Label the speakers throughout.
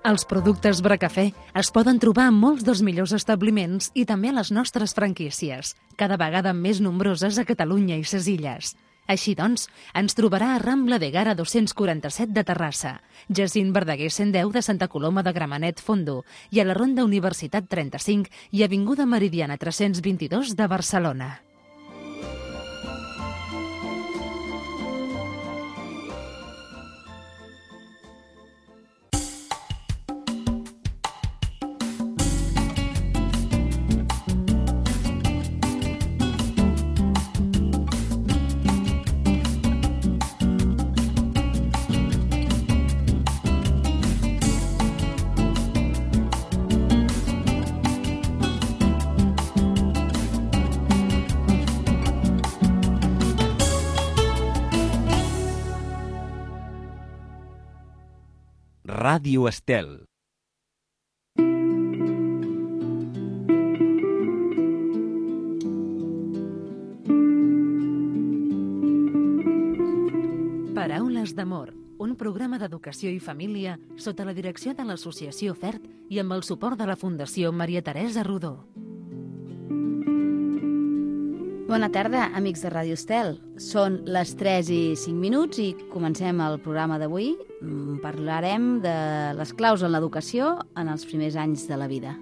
Speaker 1: Els productes Bracafè es poden trobar en molts dels millors establiments i també a les nostres franquícies, cada vegada més nombroses a Catalunya i ses Illes. Així doncs, ens trobarà a Rambla de Gara 247 de Terrassa, Jacint Verdaguer 110 de Santa Coloma de Gramenet, Fondo, i a la Ronda Universitat 35 i Avinguda Meridiana 322 de Barcelona.
Speaker 2: Ràdio Estel.
Speaker 1: Paraules d'amor, un programa d'educació i família sota la direcció de l'Associació FERT i amb el suport de la Fundació Maria Teresa Rodó.
Speaker 3: Bona tarda, amics de Ràdio Estel. Són les 3:05 i comencem el programa d'avui. Parlarem de les claus en l'educació en els primers anys de la vida.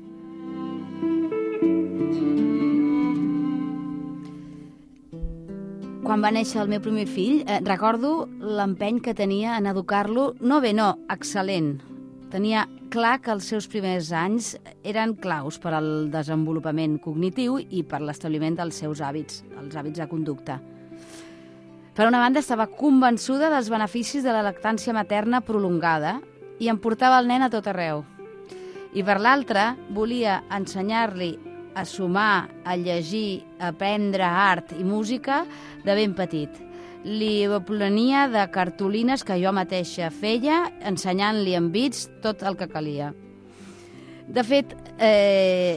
Speaker 3: Quan va néixer el meu primer fill, recordo l'empeny que tenia en educar-lo, excel·lent. Tenia clar que els seus primers anys eren claus per al desenvolupament cognitiu i per l'establiment dels seus hàbits, els hàbits de conducta. Per una banda, estava convençuda dels beneficis de la lactància materna prolongada i em portava el nen a tot arreu. I per l'altra, volia ensenyar-li a sumar, a llegir, a aprendre art i música de ben petit. Li plenia de cartolines que jo mateixa feia, ensenyant-li en bits tot el que calia. De fet,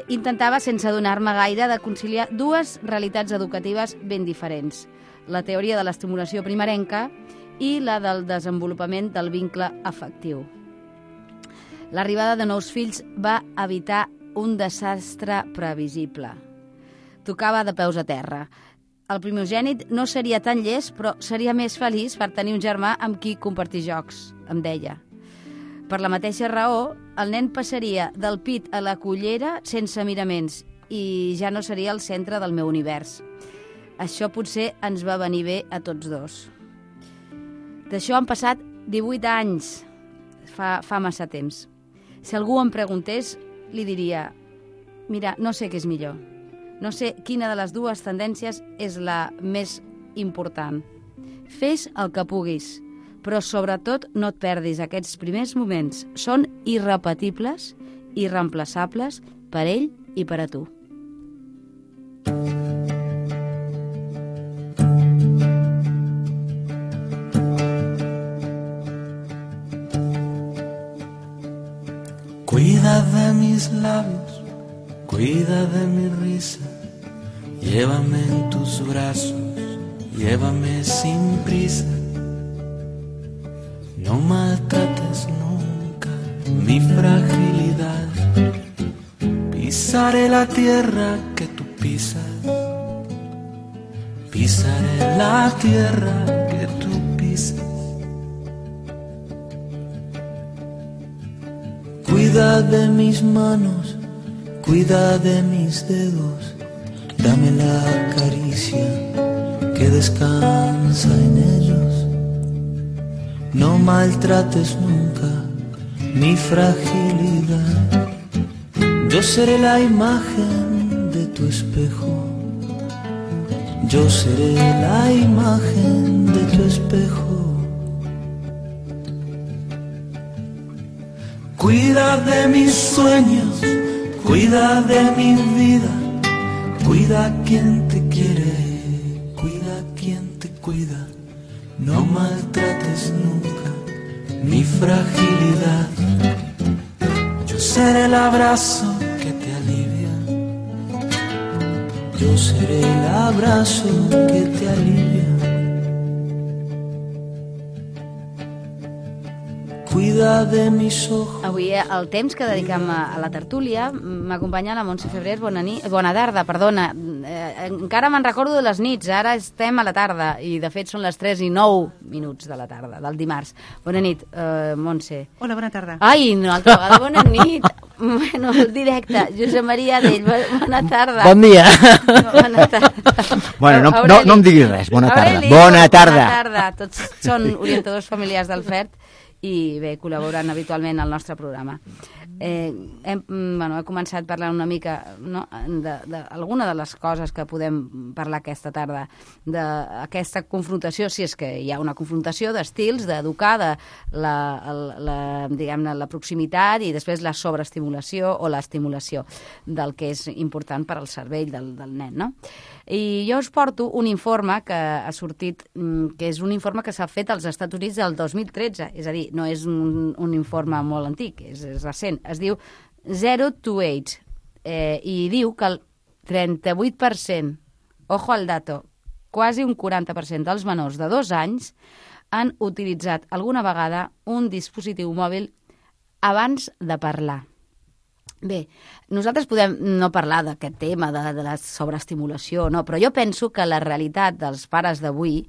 Speaker 3: intentava, sense adonar-me gaire, de conciliar dues realitats educatives ben diferents. La teoria de l'estimulació primerenca i la del desenvolupament del vincle afectiu. L'arribada de nous fills va evitar un desastre previsible. Tocava de peus a terra. El primogènit no seria tan llest, però seria més feliç per tenir un germà amb qui compartir jocs, em deia. Per la mateixa raó, el nen passaria del pit a la cullera sense miraments i ja no seria el centre del meu univers. Això potser ens va venir bé a tots dos. D'això han passat 18 anys, fa massa temps. Si algú em preguntés, li diria: mira, no sé què és millor. No sé quina de les dues tendències és la més important. Fes el que puguis, però sobretot no et perdis aquests primers moments. Són irrepetibles, irreemplaçables per ell i per a tu.
Speaker 4: Cuida de mis labios, cuida de mi risa, llévame en tus brazos, llévame sin prisa. No maltrates nunca mi fragilidad, pisaré la tierra que tú pisas, pisaré la tierra que tú pisas. Cuida de mis manos, cuida de mis dedos, dame la caricia que descansa en ellos. No maltrates nunca mi fragilidad. Yo seré la imagen de tu espejo. Yo seré la imagen de tu espejo. Cuida de mis sueños, cuida de mi vida, cuida a quien te quiere, cuida a quien te cuida. No maltrates nunca mi fragilidad. Yo seré el abrazo que te alivia, yo seré el abrazo que te alivia. cuida de mis ojos.
Speaker 3: Avui el temps que dediquem a la tertúlia m'acompanya la Montse Febrers. Bona tarda, perdona. Encara me'n recordo de les nits, ara estem a la tarda i de fet són les 3:09 de la tarda, del dimarts. Bona nit, Montse.
Speaker 2: Hola, bona tarda.
Speaker 3: Ai, una altra vegada bona nit. Bueno, el directe. Josep Maria Adell, bona tarda.
Speaker 5: Bon dia.
Speaker 3: Bona tarda.
Speaker 5: Bueno, no em diguis res, bona tarda.
Speaker 3: Aureli,
Speaker 5: Bona tarda.
Speaker 3: Bona tarda. Tots són orientadors familiars del FERT i bé, col·laboren habitualment al nostre programa. Hem començat parlant una mica d'alguna de les coses que podem parlar aquesta tarda, d'aquesta confrontació, si és que hi ha una confrontació d'estils, d'educar, de la proximitat i després la sobreestimulació o l'estimulació del que és important per al cervell del nen, no? I jo us porto un informe que ha sortit, que és un informe que s'ha fet als Estats Units del 2013, és a dir, no és un informe molt antic, és recent. Es diu 0 to 8 i diu que el 38%, ojo al dato, quasi un 40% dels menors de 2 anys han utilitzat alguna vegada un dispositiu mòbil abans de parlar. Bé, nosaltres podem no parlar d'aquest tema, de la sobreestimulació, no, però jo penso que la realitat dels pares d'avui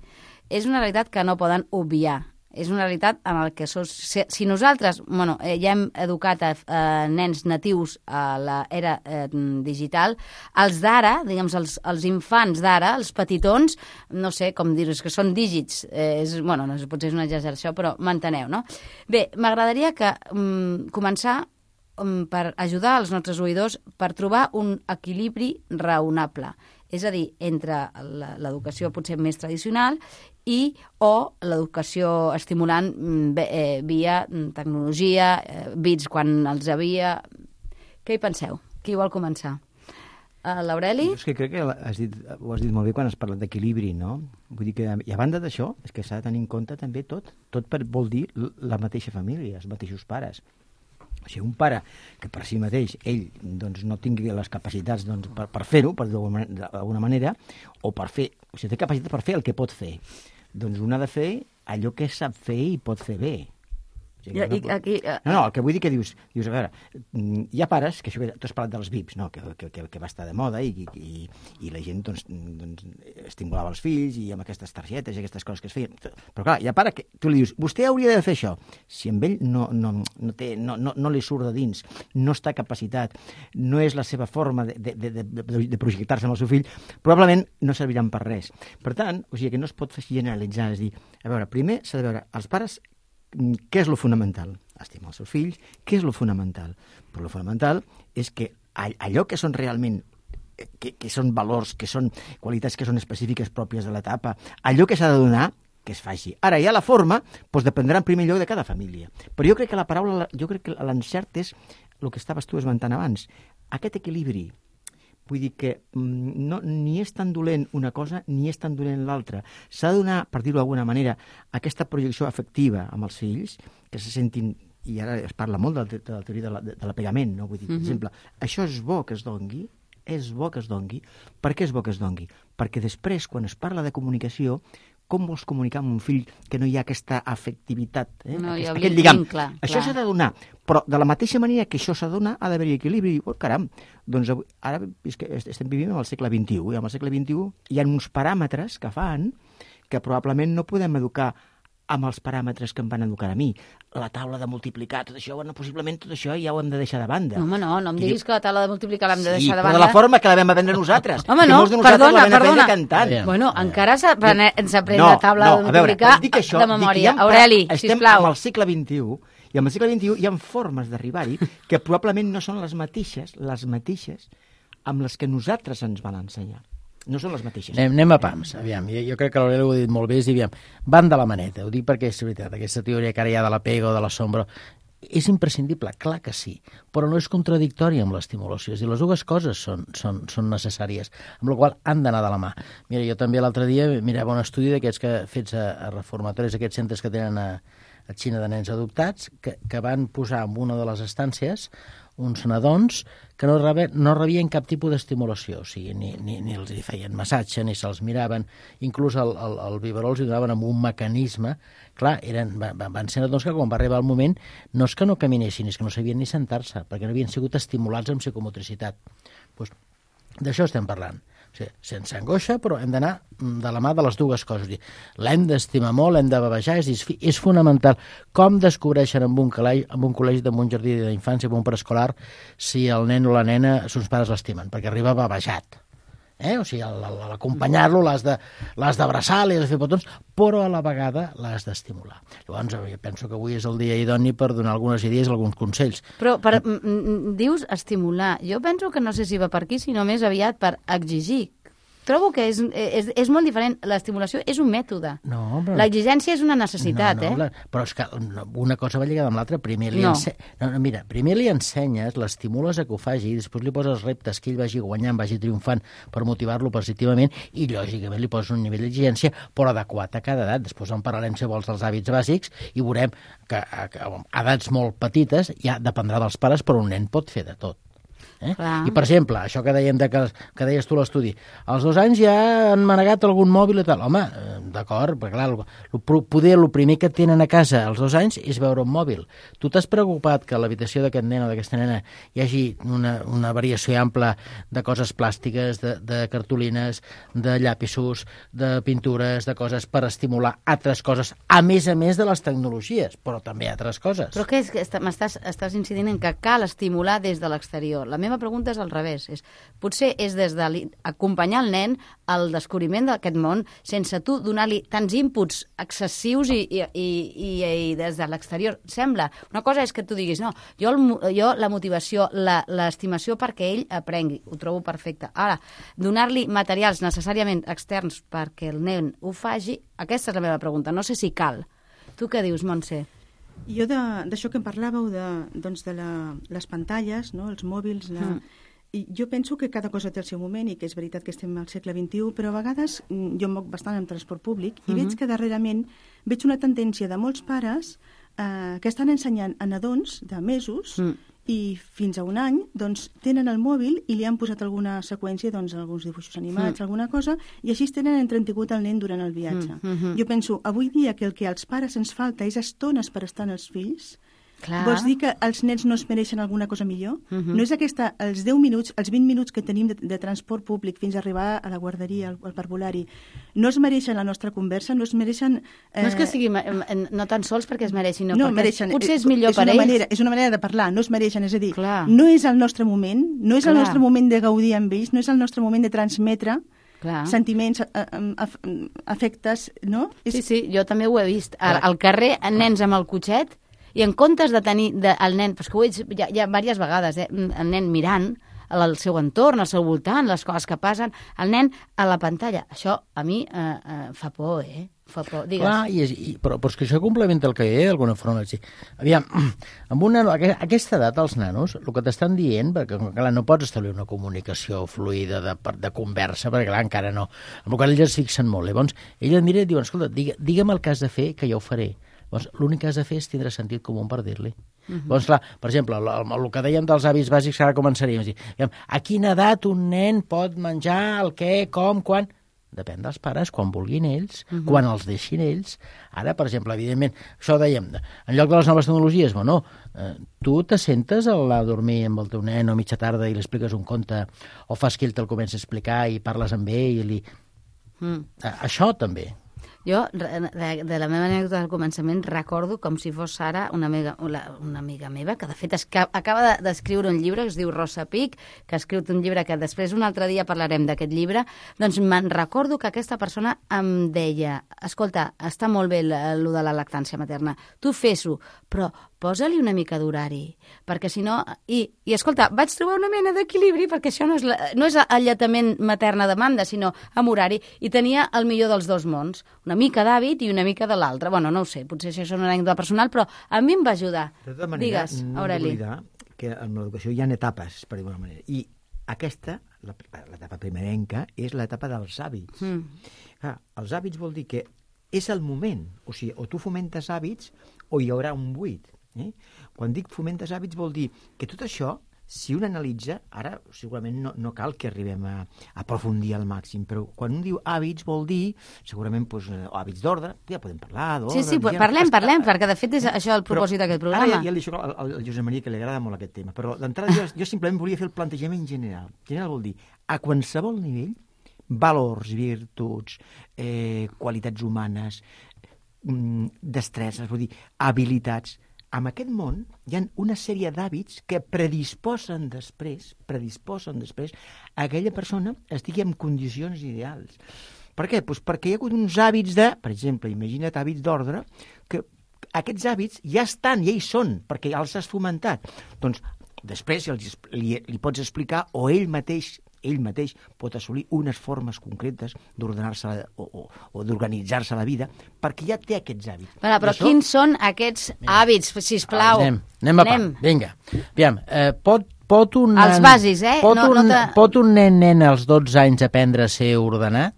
Speaker 3: és una realitat que no poden obviar. És una realitat en la que si nosaltres ja hem educat a nens natius a l'era digital, els d'ara, diguem, els infants d'ara, els petitons, no sé com dir-ho, és que són dígits, potser és una exageració, però m'enteneu, no? Bé, m'agradaria començar per ajudar els nostres oïdors per trobar un equilibri raonable, és a dir, entre l'educació potser més tradicional o l'educació estimulant via tecnologia, bits quan els havia... Què hi penseu? Qui vol començar? L'Aureli?
Speaker 5: És que crec que ho has dit molt bé quan has parlat d'equilibri, no? Vull dir que, i a banda d'això, és que s'ha de tenir en compte també tot vol dir la mateixa família, els mateixos pares. O sigui, un pare que per si mateix ell no tingui les capacitats per fer-ho, per dir-ho d'alguna manera, o té capacitat per fer el que pot fer, doncs un ha de fer allò que sap fer i pot fer bé. No, el que vull dir que dius, a veure, hi ha pares, que això que tu has parlat dels VIPs, no? que va estar de moda i la gent estimulava els fills i amb aquestes targetes i aquestes coses que es feien. Però clar, hi ha pare que tu li dius, vostè hauria de fer això. Si amb ell no li surt de dins, no està capacitat, no és la seva forma de projectar-se amb el seu fill, probablement no serviran per res. Per tant, o sigui que no es pot generalitzar, és dir, a veure, primer s'ha de veure els pares què és lo fonamental? Estimar els seus fills. Què és lo fonamental? Però lo fonamental és que allò que són realment, que són valors, que són qualitats que són específiques pròpies de l'etapa, allò que s'ha de donar, que es faci. Ara, ja la forma, dependrà en primer lloc de cada família. Però jo crec que l'encert és el que estaves tu esmentant abans. Aquest equilibri. Vull dir que ni és tan dolent una cosa ni és tan dolent l'altra. S'ha de donar, per dir-ho d'alguna manera, aquesta projecció afectiva amb els fills, que se sentin, i ara es parla molt de la teoria de l'apegament, no? Vull dir, per exemple, això és bo que es dongui, Per què és bo que es dongui? Perquè després, quan es parla de comunicació, com vols comunicar amb un fill que no hi ha aquesta afectivitat? Aquest lligam. Això s'ha de donar, però de la mateixa manera que això s'ha de donar, ha d'haver-hi equilibri. Oh, caram, doncs ara és que estem vivint en el segle XXI, i en el segle XXI hi ha uns paràmetres que fan que probablement no podem educar amb els paràmetres que em van educar a mi. La taula de multiplicar, tot això, possiblement tot això ja ho hem de deixar de banda.
Speaker 3: Home, no em diguis que la taula de multiplicar l'hem de deixar de banda.
Speaker 5: Sí, però de la forma que la vam aprendre nosaltres.
Speaker 3: Home, no, perdona.
Speaker 5: Cantant.
Speaker 3: Bueno, encara ens aprèn la taula de multiplicar de memòria. Aureli, sisplau.
Speaker 5: Estem al segle XXI, i en el segle XXI hi ha formes d'arribar-hi que probablement no són les mateixes amb les que nosaltres ens van ensenyar. No són les mateixes.
Speaker 6: Anem a pams, aviam. Jo crec que l'Aureli ho ha dit molt bé, és dir, aviam, van de la maneta, ho dic perquè és veritat, aquesta teoria que ara hi ha de l'apego o de l'assombra, és imprescindible, clar que sí, però no és contradictòria amb l'estimulació, és a dir, les dues coses són necessàries, amb la qual han d'anar de la mà. Mira, jo també l'altre dia mirava un estudi d'aquests que fets a reformatoris, aquests centres que tenen a Xina de nens adoptats, que van posar en una de les estàncies uns nadons que no rebien cap tipus d'estimulació, o sigui, ni els hi feien massatge, ni se'ls miraven, inclús el biberó els hi donaven amb un mecanisme. Clar, van ser nadons que quan va arribar el moment no és que no caminessin, és que no sabien ni sentar-se, perquè no havien sigut estimulats amb psicomotricitat. Pues, d'això estem parlant. O sigui, sense angoixa, però hem d'anar de la mà de les dues coses. L'hem d'estimar molt, l'hem de bavejar, és fonamental. Com descobreixen en un col·legi, en un jardí d'infància, en un preescolar, si el nen o la nena, sos pares l'estimen? Perquè arriba bavejat. O sigui, l'acompanyar-lo l'has d'abraçar, li has de fer petons, però a la vegada l'has d'estimular. Llavors, jo penso que avui és el dia idoni per donar algunes idees, alguns consells.
Speaker 3: Però dius estimular. Jo penso que no sé si va per aquí, sinó més aviat per exigir. Trobo que és molt diferent. L'estimulació és un mètode.
Speaker 6: No, però...
Speaker 3: L'exigència és una necessitat,
Speaker 6: Però és que una cosa va lligada amb l'altra. Primer li ensenyes, l'estimules a que ho faci, i després li poses reptes que ell vagi guanyant, vagi triomfant per motivar-lo positivament, i lògicament li poses un nivell d'exigència, però adequat a cada edat. Després en parlarem, si vols, dels hàbits bàsics, i veurem que a edats molt petites ja dependrà dels pares, però un nen pot fer de tot. I, per exemple, això que dèiem que deies tu a l'estudi, als 2 anys ja han manegat algun mòbil i tal. Home, d'acord, perquè clar, poder el primer que tenen a casa als 2 anys és veure un mòbil. Tu t'has preocupat que a l'habitació d'aquest nen o d'aquesta nena hi hagi una variació ampla de coses plàstiques, de cartolines, de llapisos, de pintures, de coses per estimular altres coses, a més de les tecnologies, però també altres coses.
Speaker 3: Però què és que estàs incidint en que cal estimular des de l'exterior? La meva pregunta és al revés. Potser és des d'acompanyar el nen al descobriment d'aquest món sense tu donar-li tants inputs excessius i des de l'exterior. Sembla. Una cosa és que tu diguis, no, jo la motivació, l'estimació perquè ell aprengui, ho trobo perfecte. Ara, donar-li materials necessàriament externs perquè el nen ho faci, aquesta és la meva pregunta. No sé si cal. Tu què dius, Montse?
Speaker 2: Jo d'això que em parlàveu, de les pantalles, no? Els mòbils... I jo penso que cada cosa té el seu moment i que és veritat que estem al segle XXI, però a vegades jo em moc bastant en transport públic i veig que darrerament veig una tendència de molts pares que estan ensenyant a nadons de mesos i fins a 1 any doncs, tenen el mòbil i li han posat alguna seqüència, doncs, alguns dibuixos animats, alguna cosa, i així tenen entretingut el nen durant el viatge. Jo penso, avui dia que el que als pares ens falta és estones per estar amb els fills. Clar. Vols dir que els nens no es mereixen alguna cosa millor? No és aquesta, els 10 minuts, els 20 minuts que tenim de transport públic fins a arribar a la guarderia, al parvulari, no es mereixen la nostra conversa, no es mereixen...
Speaker 3: No és que sigui no tan sols perquè es mereixin,
Speaker 2: no mereixen,
Speaker 3: potser és millor per ells.
Speaker 2: És una manera de parlar, no es mereixen, és a dir,
Speaker 3: clar,
Speaker 2: no és el nostre moment, no és el nostre moment de gaudir amb ells, no és el nostre moment de transmetre sentiments, afectes, no?
Speaker 3: Sí, jo també ho he vist. Al carrer, nens amb el cotxet, i en comptes de tenir el nen, perquè ho he vist ja diverses vegades, el nen mirant al seu entorn, al seu voltant, les coses que passen, el nen a la pantalla. Això a mi fa por, Fa por, digues.
Speaker 6: Clar, però és que això complementa el que hi ha d'alguna forma. Aviam, a aquesta edat els nanos, el que t'estan dient, perquè clar, no pots establir una comunicació fluida de conversa, perquè clar, encara no. Amb el qual ells es fixen molt. Llavors, ell et mira i diuen, escolta, digue'm el que has de fer, que jo ho faré. Llavors, l'únic que has de fer és tindre sentit comú per dir-li. Llavors, clar, per exemple, el que dèiem dels hàbits bàsics, ara començaríem a dir, a quina edat un nen pot menjar, el què, com, quan... Depèn dels pares, quan vulguin ells, quan els deixin ells. Ara, per exemple, evidentment, això dèiem, en lloc de les noves tecnologies, bueno, tu t'assentes a anar a dormir amb el teu nen o mitja tarda i li expliques un conte, o fas que ell te'l comenci a explicar i parles amb ell. Això també.
Speaker 3: Jo, de la meva anècdota del començament, recordo com si fos ara una amiga meva, que de fet acaba d'escriure un llibre que es diu Rosa Pic, que ha escrit un llibre que després un altre dia parlarem d'aquest llibre. Doncs me'n recordo que aquesta persona em deia, escolta, està molt bé allò de la lactància materna, tu fes-ho, però posa-li una mica d'horari, perquè si no... I escolta, vaig trobar una mena d'equilibri, perquè això no és alletament matern a demanda, sinó amb horari, i tenia el millor dels dos mons, una mica d'hàbit i una mica de l'altre. Bueno, no ho sé, potser això és una anècdota personal, però a mi em va ajudar.
Speaker 5: De tota manera,
Speaker 3: digues, Aureli.
Speaker 5: No oblidar que en l'educació hi ha etapes, per dir-ho d'una manera, i aquesta, l'etapa primerenca, és l'etapa dels hàbits. Clar, els hàbits vol dir que és el moment, o sigui, o tu fomentes hàbits o hi haurà un buit. Quan dic fomentes hàbits vol dir que tot això si un analitza, ara segurament no cal que arribem a aprofundir al màxim, però quan un diu hàbits vol dir, segurament hàbits d'ordre, ja podem parlar d'ordre...
Speaker 3: Sí, parlem, perquè de fet és això el propòsit d'aquest programa.
Speaker 5: Ara ja li dic al Josep Maria que li agrada molt aquest tema, però d'entrada jo simplement volia fer el plantejament general. General vol dir, a qualsevol nivell, valors, virtuts, qualitats humanes, destreses, vull dir, habilitats. En aquest món hi ha una sèrie d'hàbits que predisposen després a aquella persona estigui en condicions ideals. Per què? Doncs perquè hi ha hagut uns hàbits per exemple, imagina't hàbits d'ordre, que aquests hàbits ja estan, ja hi són, perquè ja els has fomentat. Doncs després li pots explicar, o ell mateix pot assolir unes formes concretes d'ordenar-se o d'organitzar-se la vida, perquè ja té aquests hàbits.
Speaker 3: Però quins són aquests hàbits, sisplau?
Speaker 6: Anem a part, vinga. Aviam, pot un nen...
Speaker 3: Els bàsics,
Speaker 6: Pot un nen als 12 anys aprendre a ser ordenat?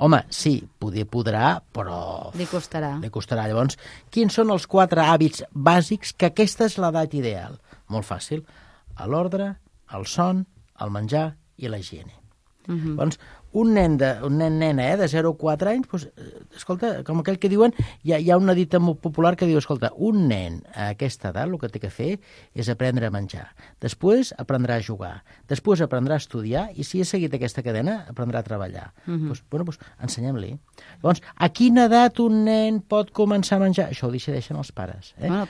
Speaker 6: Home, sí, podrà, però...
Speaker 3: Li costarà.
Speaker 6: Llavors, quins són els 4 hàbits bàsics que aquesta és l'edat ideal? Molt fàcil. L'ordre, el son, el menjar i la higiene. Doncs un nena de 0 a 4 anys, doncs, escolta, com aquell que diuen, hi ha una dita molt popular que diu, escolta, un nen a aquesta edat el que té que fer és aprendre a menjar, després aprendrà a jugar, després aprendrà a estudiar i si ha seguit aquesta cadena aprendrà a treballar. Doncs ensenyem-li. Llavors, a quina edat un nen pot començar a menjar? Això ho decideixen els pares.
Speaker 3: No,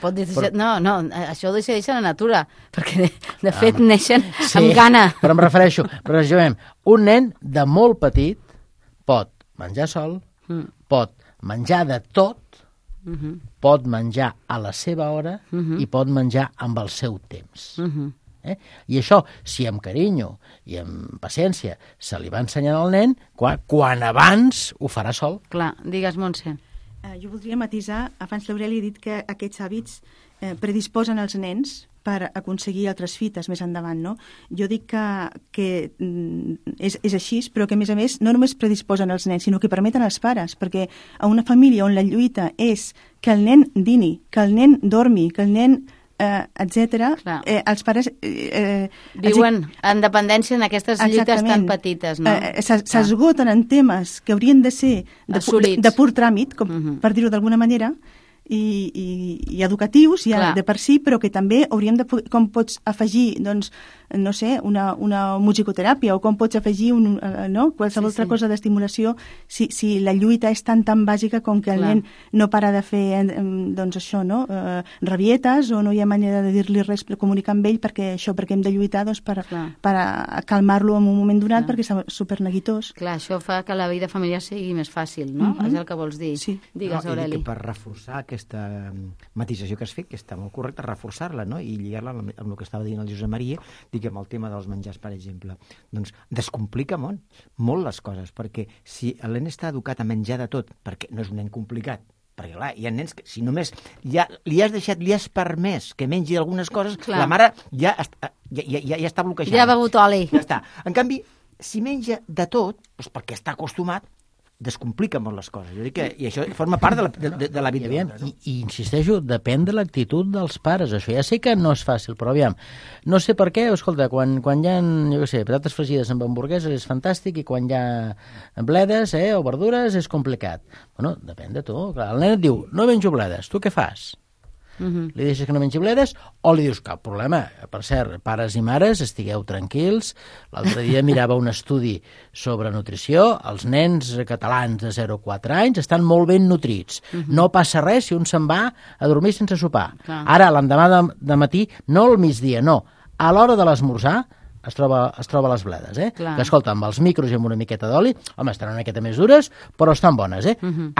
Speaker 3: això ho decideixen la natura, perquè de fet neixen amb gana.
Speaker 6: Però em refereixo, un nen de molt petit pot menjar sol, pot menjar de tot, pot menjar a la seva hora i pot menjar amb el seu temps. I això, si amb carinyo i amb paciència se li va ensenyant al nen, quan abans ho farà sol.
Speaker 3: Clar, digues, Montse.
Speaker 2: Jo voldria matisar, abans l'Aureli ha dit que aquests hàbits predisposen els nens per aconseguir altres fites més endavant, no? Jo dic que és així, però que, a més, no només predisposen els nens, sinó que permeten als pares, perquè a una família on la lluita és que el nen dini, que el nen dormi, que el nen etc. Els pares...
Speaker 3: viuen en dependència en aquestes lluites tan petites, no?
Speaker 2: S'esgoten en temes que haurien de ser de pur tràmit, per dir-ho d'alguna manera, i educatius ja de per si, però que també hauríem de poder, com pots afegir, doncs, no sé, una musicoteràpia o com pots afegir qualsevol altra cosa d'estimulació si la lluita és tan bàsica com que el nen no para de fer doncs això, no? Rabietes, o no hi ha manera de dir-li res, comunicar amb ell perquè hem de lluitar doncs, per calmar-lo en un moment donat perquè és superneguitós.
Speaker 3: Clar, això fa que la vida familiar sigui més fàcil, no? És el que vols dir.
Speaker 2: Sí.
Speaker 3: Digues, Aureli.
Speaker 5: Per reforçar aquesta matisació que has fet, que està molt correcta, reforçar-la, no? I lligar-la amb el que estava dient el Josep Maria, amb el tema dels menjars, per exemple, doncs descomplica molt les coses, perquè si el nen està educat a menjar de tot, perquè no és un nen complicat, perquè clar, hi ha nens que si només li has permès que mengi algunes coses, la mare ja està bloquejada.
Speaker 3: Ja ha begut oli.
Speaker 5: Ja està. En canvi, si menja de tot, doncs perquè està acostumat, descomplica molt les coses. Jo dic que, i això forma part de la vida.
Speaker 6: I insisteixo, depèn de l'actitud dels pares. Això ja sé que no és fàcil, però aviam, no sé per què, escolta, quan hi ha, jo què sé, patates fregides amb hamburgueses és fantàstic i quan hi ha bledes o verdures és complicat. Bueno, depèn de tu. Clar, el nen et diu, no menjo bledes, tu què fas? Li deixes que no mengi bledes o li dius, cap problema. Per cert, pares i mares, estigueu tranquils. L'altre dia mirava un estudi sobre nutrició. Els nens catalans de 0 a 4 anys estan molt ben nutrits. No passa res si un se'n va a dormir sense sopar. Ara, l'endemà de matí, no al migdia, no. A l'hora de l'esmorzar es troba les bledes, que escolta, amb els micros i amb una miqueta d'oli, home, estan una miqueta més dures, però estan bones,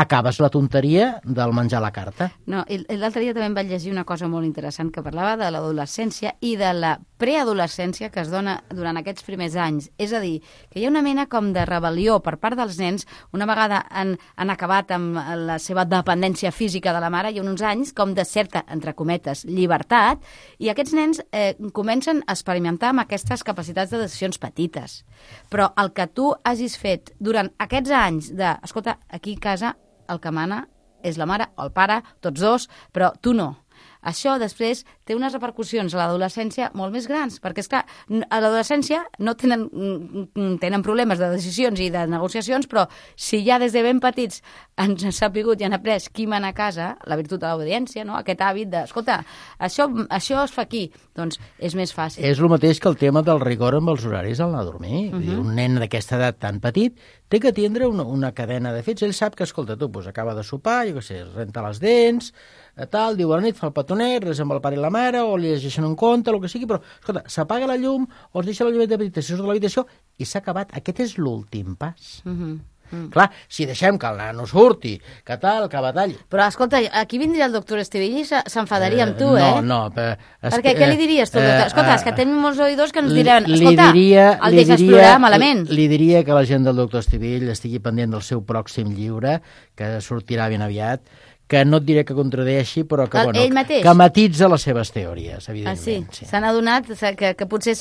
Speaker 6: Acabes la tonteria del menjar a la carta.
Speaker 3: No, i l'altre dia també em vaig llegir una cosa molt interessant que parlava de l'adolescència i de la preadolescència que es dona durant aquests primers anys. És a dir, que hi ha una mena com de rebel·lió per part dels nens, una vegada han acabat amb la seva dependència física de la mare, i uns anys com de certa, entre cometes, llibertat, i aquests nens comencen a experimentar amb aquestes capacitats de decisions petites. Però el que tu hagis fet durant aquests anys de, escolta, aquí a casa el que mana és la mare o el pare, tots dos, però tu no. això després té unes repercussions a l'adolescència molt més grans, perquè, esclar, a l'adolescència no tenen problemes de decisions i de negociacions, però si ja des de ben petits ens han sapigut i han après qui mana a casa, la virtut de l'obediència, no? Aquest hàbit de, escolta, això es fa aquí, doncs és més fàcil.
Speaker 6: És el mateix que el tema del rigor amb els horaris al anar a dormir. Un nen d'aquesta edat tan petit té que tindre una cadena de fets. Ell sap que, escolta, tu, doncs, acaba de sopar, jo què sé, renta les dents, tal, diu a la nit, fa el petonet, res amb el pare i la mare, o li llegeixen un conte, el que sigui, però, escolta, s'apaga la llum, o es deixa la llumeta petita, si surt de l'habitació, i s'ha acabat. Aquest és l'últim pas. Clar, si deixem que el nano surti, que tal, que batall...
Speaker 3: Però, escolta, aquí vindria el doctor Estivill i s'enfadaria amb tu,
Speaker 6: No.
Speaker 3: Perquè què li diries tu, doctor? Escolta, és que tenim molts oïdors que ens diran, escolta, el deixes plorar malament.
Speaker 6: Li diria que la gent del doctor Estivill estigui pendent del seu pròxim llibre, que sortirà ben aviat, que no et diré que contradeixi, però que, que matitza les seves teories, evidentment.
Speaker 3: Sí? S'han adonat que potser...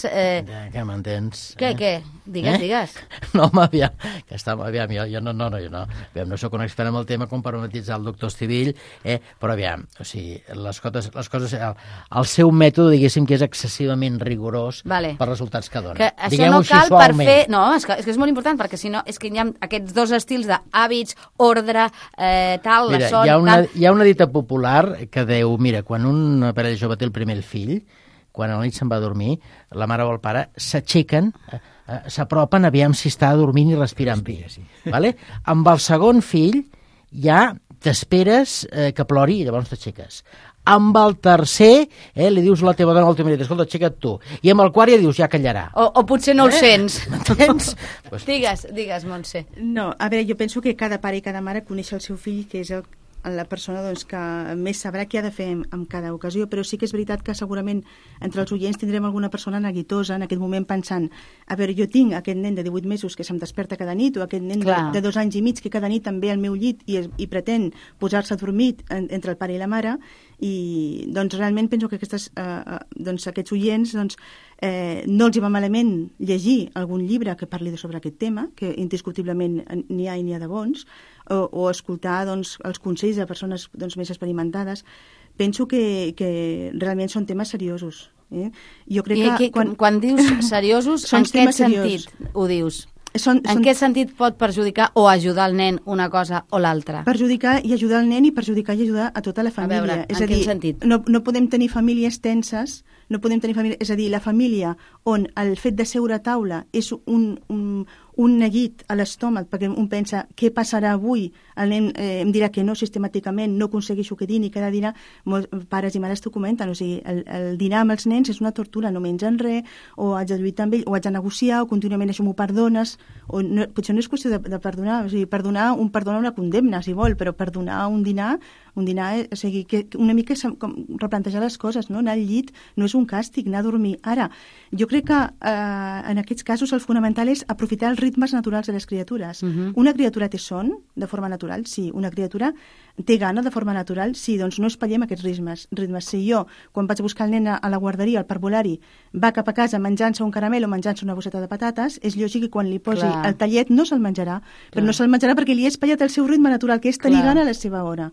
Speaker 6: Que m'entens?
Speaker 3: Què? Digues.
Speaker 6: No, aviam, jo no. Aviam, no sóc un expert en el tema com per matitzar el doctor Estivill, però aviam, o sigui, les coses, el seu mètode, diguéssim, que és excessivament rigorós per resultats que dona.
Speaker 3: Que això no cal per fer... No, és que és molt important, perquè si no, és que hi ha aquests dos estils d'hàbits, ordre, tal, la son...
Speaker 6: Hi ha una dita popular que diu, mira, quan un parell jove té el primer fill, quan a la nit se'n va a dormir, la mare o el pare s'aixequen, s'apropen, aviam si està dormint i respirant bé. Vale? Amb el segon fill ja t'esperes que plori i llavors t'aixeques. Amb el tercer, li dius a la teva dona o al teu marit, escolta, aixeca't tu. I amb el quart ja dius, ja callarà.
Speaker 3: O potser no ho sents.
Speaker 6: M'entens?
Speaker 3: Digues, Montse.
Speaker 2: No, a veure, jo penso que cada pare i cada mare coneix el seu fill, que és la persona doncs, que més sabrà què ha de fer en cada ocasió, però sí que és veritat que segurament entre els oients tindrem alguna persona neguitosa en aquest moment pensant, a veure, jo tinc aquest nen de 18 mesos que se'm desperta cada nit, o aquest nen de 2 anys i mig que cada nit també al meu llit i pretén posar-se adormit entre el pare i la mare, i doncs realment penso que aquests oients no els hi va malament llegir algun llibre que parli sobre aquest tema, que indiscutiblement n'hi ha i n'hi ha de bons, o escoltar els consells de persones més experimentades. Penso que realment són temes seriosos. Jo crec que
Speaker 3: quan dius seriosos, en què sentit ho dius? En què sentit pot perjudicar o ajudar el nen una cosa o l'altra?
Speaker 2: Perjudicar i ajudar el nen i perjudicar i ajudar a tota la família.
Speaker 3: A veure, en quin sentit?
Speaker 2: No podem tenir famílies tenses, és a dir, la família on el fet de seure a taula és un neguit a l'estómac, perquè un pensa què passarà avui, el nen em dirà que no sistemàticament, no aconsegueixo que dini cada dinar, molts pares i mares t'ho comenten, o sigui, el dinar amb els nens és una tortura, no mengen res, o haig de lluitar amb ell, o haig de negociar, o contínuament això m'ho perdones, o no, potser no és qüestió de perdonar, o sigui, perdonar una condemna, si vol, però perdonar un dinar, o sigui, que una mica replantejar les coses, no? Anar al llit no és un càstig, anar a dormir. Ara, jo crec que en aquests casos el fonamental és aprofitar els ritmes naturals de les criatures. Una criatura té son de forma natural? Sí. Una criatura té gana de forma natural? Sí. Doncs no espatllem aquests ritmes. Si jo, quan vaig a buscar el nen a la guarderia, al parvulari, va cap a casa menjant-se un caramel o menjant-se una bosseta de patates, és lògic que quan li posi el tallet no se'l menjarà. Però no se'l menjarà perquè li he espatllat el seu ritme natural, que és tenir gana a la seva hora.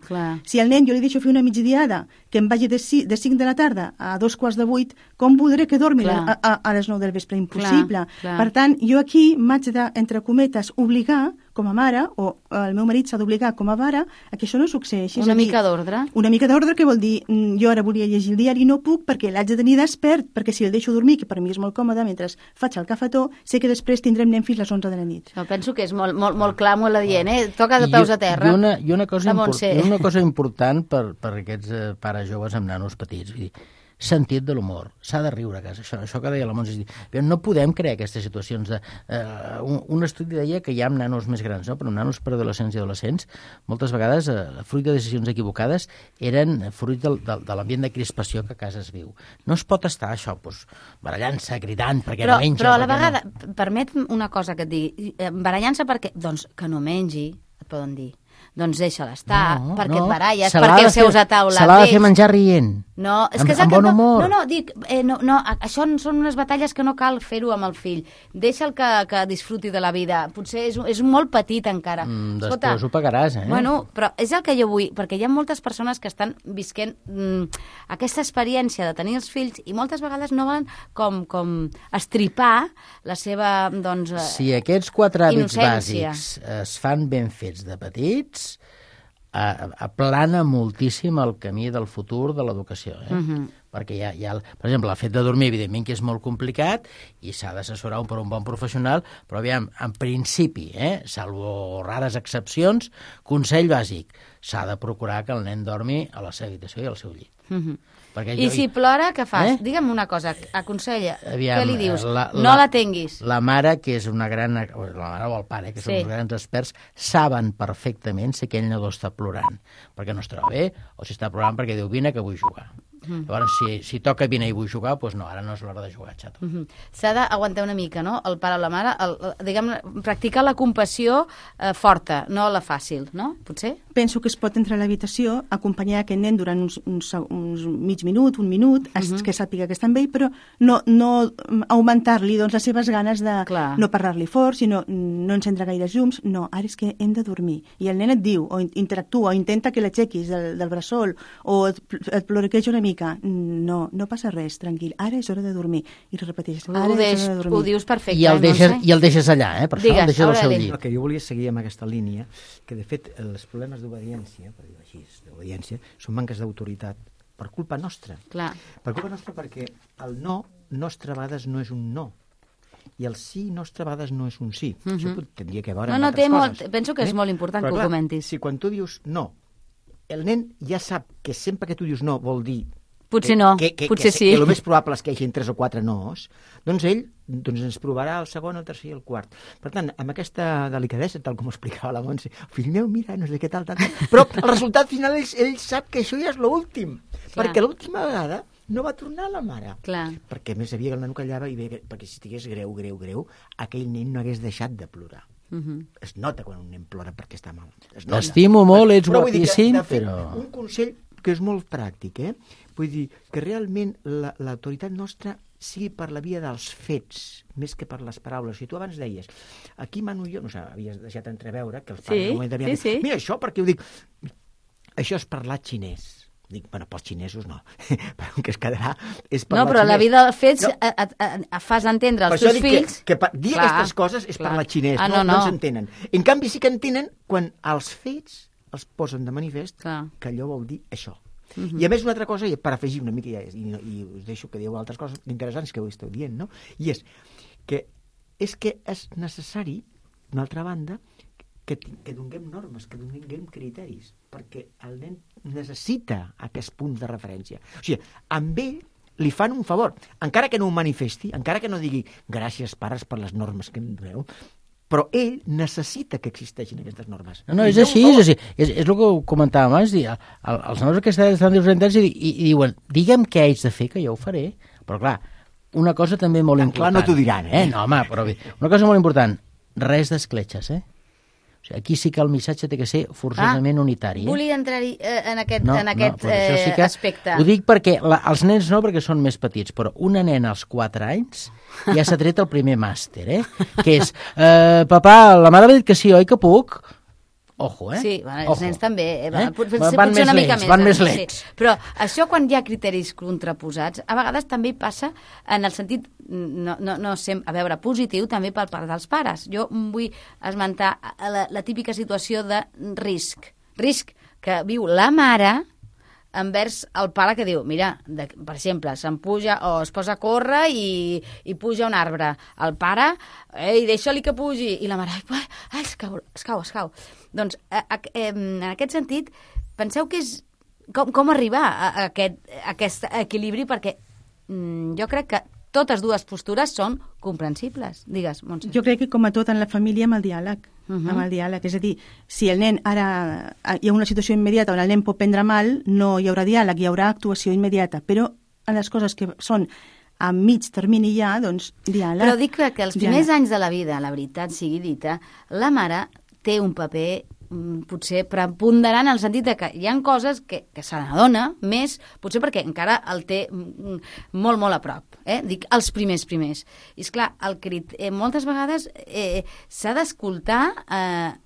Speaker 2: Si al nen jo li deixo fer una migdiada que em vagi de 5 de la tarda a 7:15, com voldré que dormi a les 9 del vespre? Impossible. Per tant, jo aquí m'haig de, entre cometes, obligar com a mare, o el meu marit s'ha d'obligar com a pare, a que això no succeeixi.
Speaker 3: Una mica d'ordre.
Speaker 2: Una mica d'ordre, que vol dir, jo ara volia llegir el diari i no puc perquè l'haig de tenir despert, perquè si el deixo dormir, que per mi és molt còmode, mentre faig el cafetó, sé que després tindrem nen fins les 11 de la nit.
Speaker 3: Jo penso que és molt clar, molt adient, Toca de peus a terra.
Speaker 6: I una cosa important per aquests pares joves amb nanos petits, vull dir, sentit de l'humor, s'ha de riure a casa, això que deia la Montse, no podem crear aquestes situacions un estudi deia que hi ha nanos més grans, no? Però nanos per adolescents i adolescents moltes vegades, fruit de decisions equivocades, eren fruit de l'ambient de crispació que a casa es viu. No es pot estar això, barallant-se, cridant perquè no menja.
Speaker 3: Però a la vegada, permet una cosa que et digui, barallant-se perquè, doncs, que no mengi, et poden dir. doncs deixa-la estar,
Speaker 6: No,
Speaker 3: perquè
Speaker 6: no.
Speaker 3: et baralles,
Speaker 6: Se l'ha
Speaker 3: perquè
Speaker 6: de
Speaker 3: seus
Speaker 6: fer-
Speaker 3: a taula.
Speaker 6: Se l'ha de fer menjar rient.
Speaker 3: No, és que és
Speaker 6: amb bon humor.
Speaker 3: No, dic, això són unes batalles que no cal fer-ho amb el fill. Deixa'l que disfruti de la vida. Potser és molt petit encara.
Speaker 6: Després ho pagaràs, eh?
Speaker 3: Bueno, però és el que jo vull, perquè hi ha moltes persones que estan visquent aquesta experiència de tenir els fills i moltes vegades no volen com estripar la seva, doncs,
Speaker 6: Si aquests 4 hàbits
Speaker 3: innocència.
Speaker 6: bàsics es fan ben fets de petits, aplana moltíssim el camí del futur de l'educació, perquè per exemple, el fet de dormir, evidentment que és molt complicat i s'ha d'assessorar per un bon professional, però aviam, en principi, salvo rares excepcions, consell bàsic, s'ha de procurar que el nen dormi a la seva habitació i al seu llit.
Speaker 3: I si plora, què fas? Digue'm una cosa, aconsella,
Speaker 6: Aviam,
Speaker 3: què li dius? No la tinguis.
Speaker 6: La mare, que és una gran... La mare o el pare, que són uns grans experts, saben perfectament si aquell nadó està plorant, perquè no es troba bé, o si està plorant perquè diu, vine que vull jugar. Llavors, si toca vine i vull jugar, doncs no, ara no és l'hora de jugar, xato.
Speaker 3: S'ha d'aguantar una mica, no?, el pare o la mare, practicar la compassió forta, no la fàcil, no? Potser?
Speaker 2: Penso que es pot entrar a l'habitació, acompanyar aquest nen durant uns mig minut, un minut, que sàpiga que està amb ell, però no augmentar-li doncs, les seves ganes de no parlar-li fort, sinó no encendre gaires llums. No, ara és que hem de dormir. I el nen et diu, o interactua, o intenta que l'aixequis del bressol, o et ploriqueja una mica. No passa res, tranquil. Ara és hora de dormir. I repeteixes, ara és hora de dormir.
Speaker 3: Ho dius perfecte.
Speaker 6: I el deixes allà, per això el deixes al seu llit.
Speaker 5: El que jo volia seguir amb aquesta línia, que de fet els problemes d'obediència, per dir-ho així, d'obediència, són manques d'autoritat per culpa nostra.
Speaker 3: Clar.
Speaker 5: Per culpa nostra perquè el no nostre a vegades no és un no. I el sí nostre a vegades no és un sí. Això tindria que veure amb altres coses.
Speaker 3: Penso que és molt important que ho comentis.
Speaker 5: Si quan tu dius no, el nen ja sap que sempre que tu dius no vol dir
Speaker 3: potser no, potser sí.
Speaker 5: Que el més probable és que hi hagi 3 o 4 no's, doncs ell ens provarà el segon, el tercer i el quart. Per tant, amb aquesta delicadesa, tal com explicava la Montse, fill meu, mira, no sé què tal, però el resultat final ell sap que això ja és l'últim, perquè l'última vegada no va tornar la mare.
Speaker 3: Clar.
Speaker 5: Perquè més havia que el nen callava, perquè si estigués greu, aquell nen no hagués deixat de plorar. Es nota quan un nen plora perquè està mal.
Speaker 6: T'estimo molt, ets guapíssim, però...
Speaker 5: Un consell que és molt pràctic, vull dir que realment l'autoritat nostra sigui per la via dels fets, més que per les paraules. Si tu abans deies, aquí mano jo, no sé, havies deixat entreveure que els pares no devien dir, mira això, perquè ho dic, això és parlar xinès. Dic, bueno, pels xinesos no, però el que es quedarà és parlar xinès.
Speaker 3: No, però la vida dels fets fas entendre als teus fills...
Speaker 5: Que dir aquestes coses és parlar xinès, no s'entenen. En canvi sí que entenen quan els fets els posen de manifest que allò vol dir això. I a més una altra cosa, i per afegir una mica, i us deixo que dieu altres coses interessants que ho esteu dient, no? I és que és necessari, d'una altra banda, que donem normes, que donem criteris, perquè el nen necessita aquests punts de referència. O sigui, amb ell li fan un favor, encara que no ho manifesti, encara que no digui gràcies pares per les normes que em doneu, però ell necessita que existeixin aquestes normes.
Speaker 6: No, és així, és el que comentàvem abans, els nois que estan desorientats i diuen, digue'm què haig de fer, que jo ho faré. Però clar, una cosa també molt important.
Speaker 5: Clar, no t'ho diran,
Speaker 6: No, home, però una cosa molt important, res d'escletxes, O sigui, aquí sí que el missatge té que ser forçosament unitari.
Speaker 3: Volia entrar-hi en aquest aspecte.
Speaker 6: Ho dic perquè els nens no, perquè són més petits, però una nena als 4 anys ja s'ha tret el primer màster, que és, papà, la mare m'ha dit que sí, oi que puc? Ojo,
Speaker 3: Sí, els nens també.
Speaker 6: Van més lents.
Speaker 3: Però això quan hi ha criteris contraposats, a vegades també passa en el sentit, no sempre, a veure, positiu, també per part dels pares. Jo vull esmentar la típica situació de risc. Risc que viu la mare envers el pare que diu, mira, per exemple, se'n puja o es posa a córrer i puja a un arbre. El pare, deixa-li que pugi. I la mare, es cau. Doncs, en aquest sentit, penseu que és com arribar a aquest equilibri, perquè jo crec que totes dues postures són comprensibles. Digues, Montse.
Speaker 2: Jo crec que, com a tot en la família, amb el diàleg. Amb el diàleg. És a dir, si el nen ara hi ha una situació immediata on el nen pot prendre mal, no hi haurà diàleg, hi haurà actuació immediata. Però en les coses que són a mig termini ja, doncs, diàleg.
Speaker 3: Però dic que els primers anys de la vida, la veritat sigui dita, la mare té un paper potser preponderant en el sentit de que hi ha coses que se n'adona més, potser perquè encara el té molt, molt a prop. Dic, els primers. I esclar, moltes vegades s'ha d'escoltar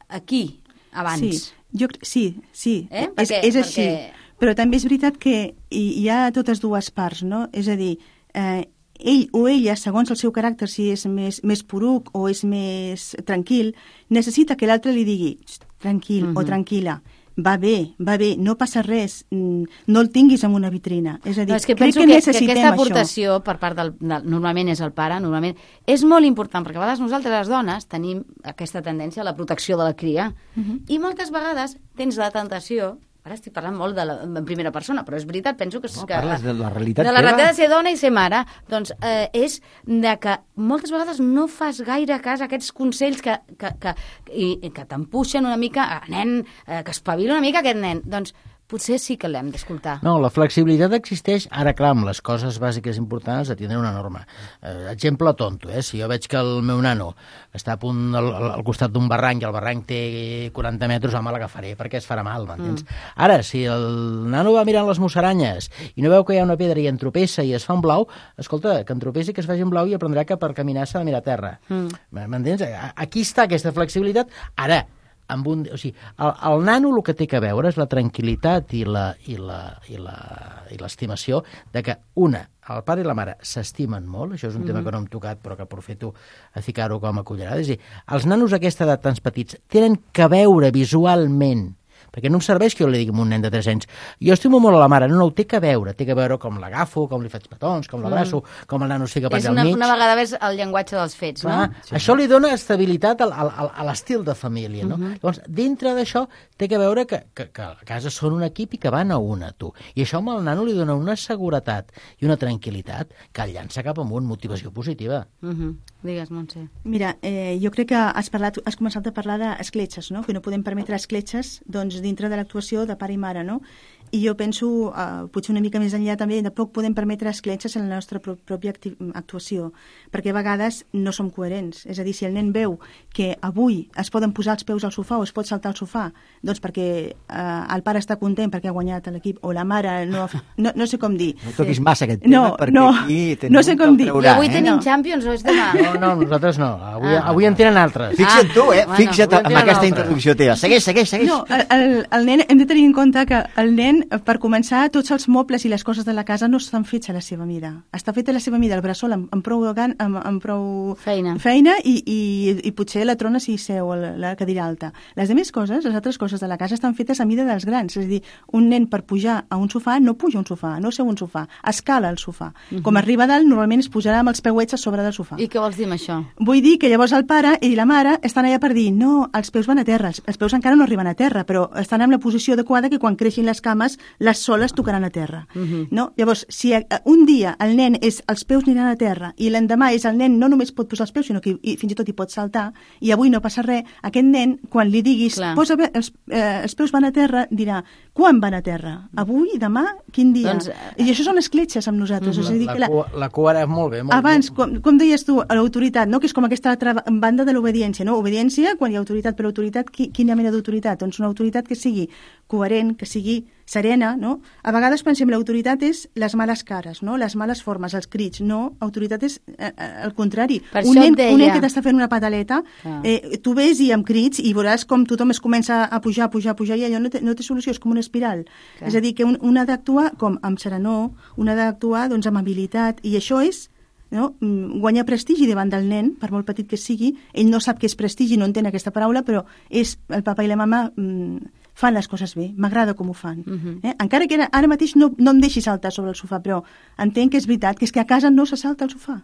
Speaker 3: aquí, abans.
Speaker 2: Sí. És així. Però també és veritat que hi ha totes dues parts, no? És a dir, ell o ella, segons el seu caràcter, si és més poruc o és més tranquil, necessita que l'altre li digui tranquil o tranquil·la. Va bé, no passa res, no el tinguis en una vitrina. És a dir,
Speaker 3: és que penso que aquesta aportació per part normalment és el pare, normalment és molt important, perquè a vegades nosaltres les dones tenim aquesta tendència a la protecció de la cria, i moltes vegades tens la tentació. Ara estic parlant molt en primera persona, però és veritat, penso que...
Speaker 5: Parles de la realitat
Speaker 3: de la realitat de ser dona i ser mare. Doncs és de que moltes vegades no fas gaire cas a aquests consells que t'empuixen una mica, nen, que espavila una mica aquest nen. Doncs potser sí que l'hem d'escoltar.
Speaker 6: No, la flexibilitat existeix, ara clar, amb les coses bàsiques importants de tindre una norma. Exemple tonto, si jo veig que el meu nano està a punt al costat d'un barranc i el barranc té 40 metres, home, l'agafaré perquè es farà mal, m'entens? Ara, si el nano va mirant les musaranyes i no veu que hi ha una pedra i entropessa i es fa un blau, escolta, que entropessi, que es faci un blau i aprendrà que per caminar s'ha de mirar a terra. M'entens? Aquí està aquesta flexibilitat. Ara, el nano el que té que veure és la tranquil·litat i l'estimació de que el pare i la mare s'estimen molt, això és un tema que no hem tocat però que aprofito a ficar-ho com a cullerada, és a dir, els nanos a aquesta edat tants petits tenen que veure visualment, perquè no em serveix que jo li digui a un nen de 3 anys jo estimo molt a la mare, no, ho té que veure com l'agafo, com li faig petons, com l'abraço, com el nano es fica per allà al mig.
Speaker 3: Una vegada més el llenguatge dels fets, no?
Speaker 6: Sí. Això li dona estabilitat a l'estil de família, no? Llavors, dintre d'això, té que veure que a casa són un equip i que van a una, tu. I això amb el nano li dona una seguretat i una tranquil·litat que el llança cap amunt, motivació positiva.
Speaker 3: Digues, Montse.
Speaker 2: Mira, jo crec que has començat a parlar d'escletxes, no? Que no podem permetre escletxes, doncs, dintre de l'actuació de pare i mare, no? I jo penso, potser una mica més enllà també, de poc podem permetre escletxes en la nostra pròpia actuació, perquè a vegades no som coherents. És a dir, si el nen veu que avui es poden posar els peus al sofà o es pot saltar al sofà, doncs perquè el pare està content perquè ha guanyat l'equip, o la mare no sé com dir.
Speaker 5: No toquis massa aquest tema, perquè aquí
Speaker 2: no sé com dir.
Speaker 3: I avui tenim Champions o és demà?
Speaker 6: No, nosaltres no. Avui en tenen altres.
Speaker 5: Fixa't tu, fixa't en aquesta introducció teva. Segueix.
Speaker 2: No, el nen, hem de tenir en compte que el nen, per començar, tots els mobles i les coses de la casa no estan fets a la seva mida. Està fet a la seva mida, el bressol amb prou feina i potser la trona si seu la cadira alta. Les altres coses de la casa estan fetes a mida dels grans. És a dir, un nen per pujar a un sofà no puja a un sofà, no seu un sofà, escala el sofà. Com arriba dalt, normalment es posarà amb els peuets a sobre del sofà.
Speaker 3: I què vols dir amb això?
Speaker 2: Vull dir que llavors el pare i la mare estan allà per dir no, els peus van a terra, els peus encara no arriben a terra, però estan en la posició adequada que quan creixin les cames les soles tocaran a terra. No? Llavors, si un dia el nen els peus aniran a terra i l'endemà el nen no només pot posar els peus, sinó que fins i tot hi pot saltar, i avui no passa res, aquest nen, quan li diguis posa els peus van a terra, dirà, quan van a terra? Avui, demà, quin dia? Doncs, i això són escletxes amb nosaltres.
Speaker 6: La cua era molt bé.
Speaker 2: Abans, com deies tu, l'autoritat, no? Que és com aquesta altra banda de l'obediència. No? Obediència, quan hi ha autoritat, però autoritat, quina mena d'autoritat? Doncs una autoritat que sigui coherent, que sigui serena, no? A vegades pensem l'autoritat és les males cares, no? Les males formes, els crits, no? Autoritat és el contrari. Un nen que t'està fent una pataleta, tu ves i amb crits i veuràs com tothom es comença a pujar i allò no té solució, és com una espiral. Clar. És a dir, que un ha d'actuar com amb serenor, un ha d'actuar doncs, amb habilitat, i això és guanyar prestigi davant del nen, per molt petit que sigui. Ell no sap què és prestigi, no entén aquesta paraula, però és el papa i la mama fan les coses bé, m'agrada com ho fan. Encara que ara mateix no em deixi saltar sobre el sofà, però entenc que és veritat, que és que a casa no se salta al sofà.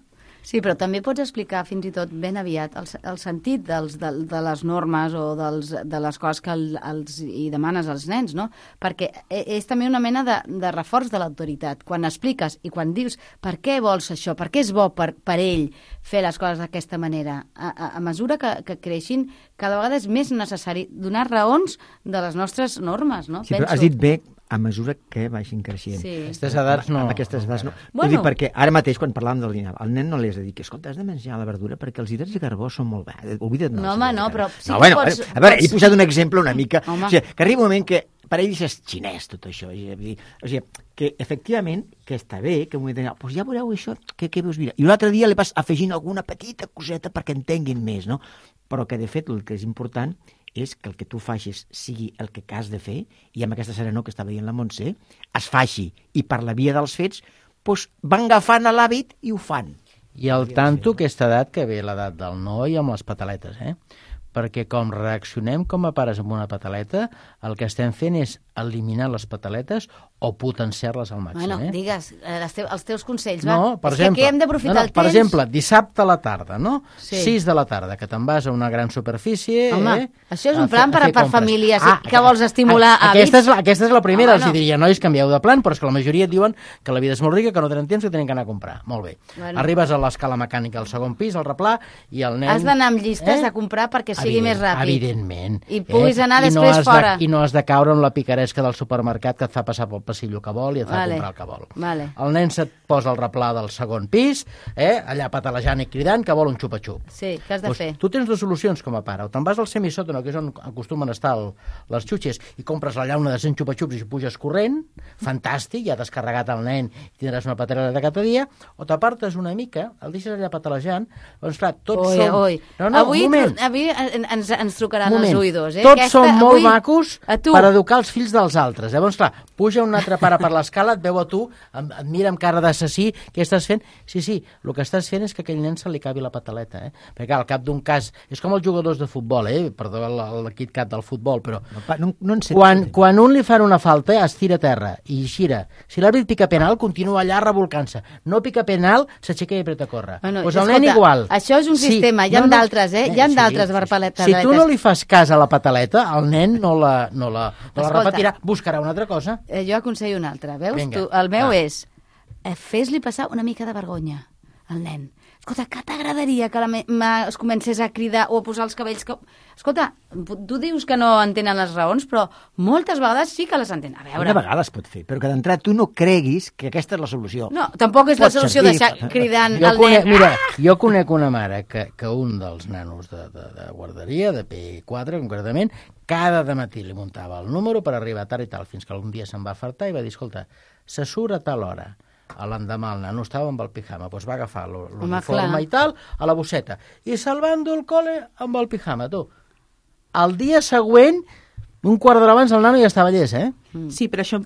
Speaker 3: Sí, però també pots explicar fins i tot ben aviat el sentit de les normes o de les coses que hi demanes als nens, no? Perquè és també una mena de reforç de l'autoritat. Quan expliques i quan dius per què vols això, per què és bo per ell fer les coses d'aquesta manera, a mesura que creixin, cada vegada és més necessari donar raons de les nostres normes, no?
Speaker 5: Sí, però has dit bé a mesura que vagin creixent.
Speaker 3: Sí.
Speaker 6: Aquestes edats no...
Speaker 5: Amb aquestes edats no.
Speaker 3: Bueno.
Speaker 5: Vull dir, perquè ara mateix, quan parlàvem del dinar, al nen no li has de dir que, escolta, has de menjar la verdura perquè els hidrats de carbó són molt bons. Oblida't
Speaker 3: No, home, no, però sí
Speaker 5: no,
Speaker 3: que
Speaker 5: bueno,
Speaker 3: pots...
Speaker 5: a veure, he posat un exemple una mica...
Speaker 3: Home.
Speaker 5: O sigui, que arriba un moment que per ell és xinès, tot això. O sigui, que efectivament, que està bé, que m'ho he dit, pues ja veureu això, què veus mirar. I l'altre dia li vas afegint alguna petita coseta perquè entenguin més, no? Però que, de fet, el que és important és que el que tu facis sigui el que has de fer, i amb aquesta serenor que està veient la Montse, es faci, i per la via dels fets, doncs van agafant l'hàbit i ho fan.
Speaker 6: I al tanto aquesta edat que ve l'edat del noi amb les pataletes, perquè com reaccionem com a pares amb una pataleta, el que estem fent és eliminar les pataletes o potenciar-les al màxim.
Speaker 3: Bueno, digues, els teus consells, va.
Speaker 6: No, per
Speaker 3: és
Speaker 6: exemple,
Speaker 3: que aquí hem d'aprofitar el temps.
Speaker 6: Per exemple, dissabte a la tarda, no?
Speaker 3: Sí.
Speaker 6: 6 de la tarda, que te'n vas a una gran superfície...
Speaker 3: Home, això és un plan per
Speaker 6: compres.
Speaker 3: famílies que vols estimular
Speaker 6: Aquesta és la primera,
Speaker 3: bueno.
Speaker 6: els diria, nois, canvieu de plan, però és que la majoria et diuen que la vida és molt rica, que no tenen temps, que tenen que anar a comprar. Molt bé.
Speaker 3: Bueno.
Speaker 6: Arribes a l'escala mecànica al segon pis, al replà, i el nen...
Speaker 3: Has d'anar amb llistes a comprar perquè sigui més ràpid.
Speaker 6: Evidentment.
Speaker 3: I puguis anar després fora.
Speaker 6: I no has de caure en la picaresca del supermercat que et fa passar pel passillo que vol i et fa comprar el que vol.
Speaker 3: Vale.
Speaker 6: El nen se't posa al replà del segon pis, allà patalejant i cridant que vol un xupa-xup.
Speaker 3: Sí, què has de fer?
Speaker 6: Tu tens dues solucions com a pare. O te'n vas al semisòtano, que és on acostumen a estar les xutxes, i compres la llauna de 100 xupa-xups i puges corrent, fantàstic, ja t'has carregat el nen i tindràs una pataleta de cada dia, o t'apartes una mica, el deixes allà patalejant, doncs clar, tots som...
Speaker 3: No, avui ens trucaran els oïdors.
Speaker 6: Tots som molt macos per educar els fills dels altres. Llavors, clar, puja un altre pare per l'escala, et veu a tu, et mira amb cara d'assassí, què estàs fent? Sí, el que estàs fent és que aquell nen se li cabi la pataleta, Perquè al cap d'un cas, és com els jugadors de futbol, Perdó, el KitKat del futbol, però quan un li fan una falta, es tira a terra i gira. Si l'àrbit pica penal, continua allà revolcant-se. No pica penal, s'aixeca i apreta a córrer. Doncs el nen igual.
Speaker 3: Això és un sistema, hi ha d'altres, Hi ha d'altres pataletes.
Speaker 6: Si tu no li fas cas a la pataleta, el nen no la repetirà, buscarà una altra cosa.
Speaker 3: Jo aconsello una altra, veus? El meu és, fes-li passar una mica de vergonya al nen. Escolta, que t'agradaria que es comencés a cridar o a posar els cabells... Escolta, tu dius que no entenen les raons, però moltes vegades sí que les entenen. A veure...
Speaker 5: Una vegada es pot fer, però que d'entrada tu no creguis que aquesta és la solució.
Speaker 3: No, tampoc és la solució deixar cridant al nen.
Speaker 6: Mira, jo conec una mare que un dels nanos de guarderia, de P4 concretament, cada dematí li muntava el número per arribar tard i tal, fins que algun dia se'n va fartar i va dir, escolta, se surt a tal hora. A l'endemà el nano estava amb el pijama, doncs va agafar l'uniforme i tal, a la bosseta, i se'l va endur al col·le amb el pijama, tu. El dia següent, un quart d'hora abans, el nano ja estava llest,
Speaker 2: Sí, però això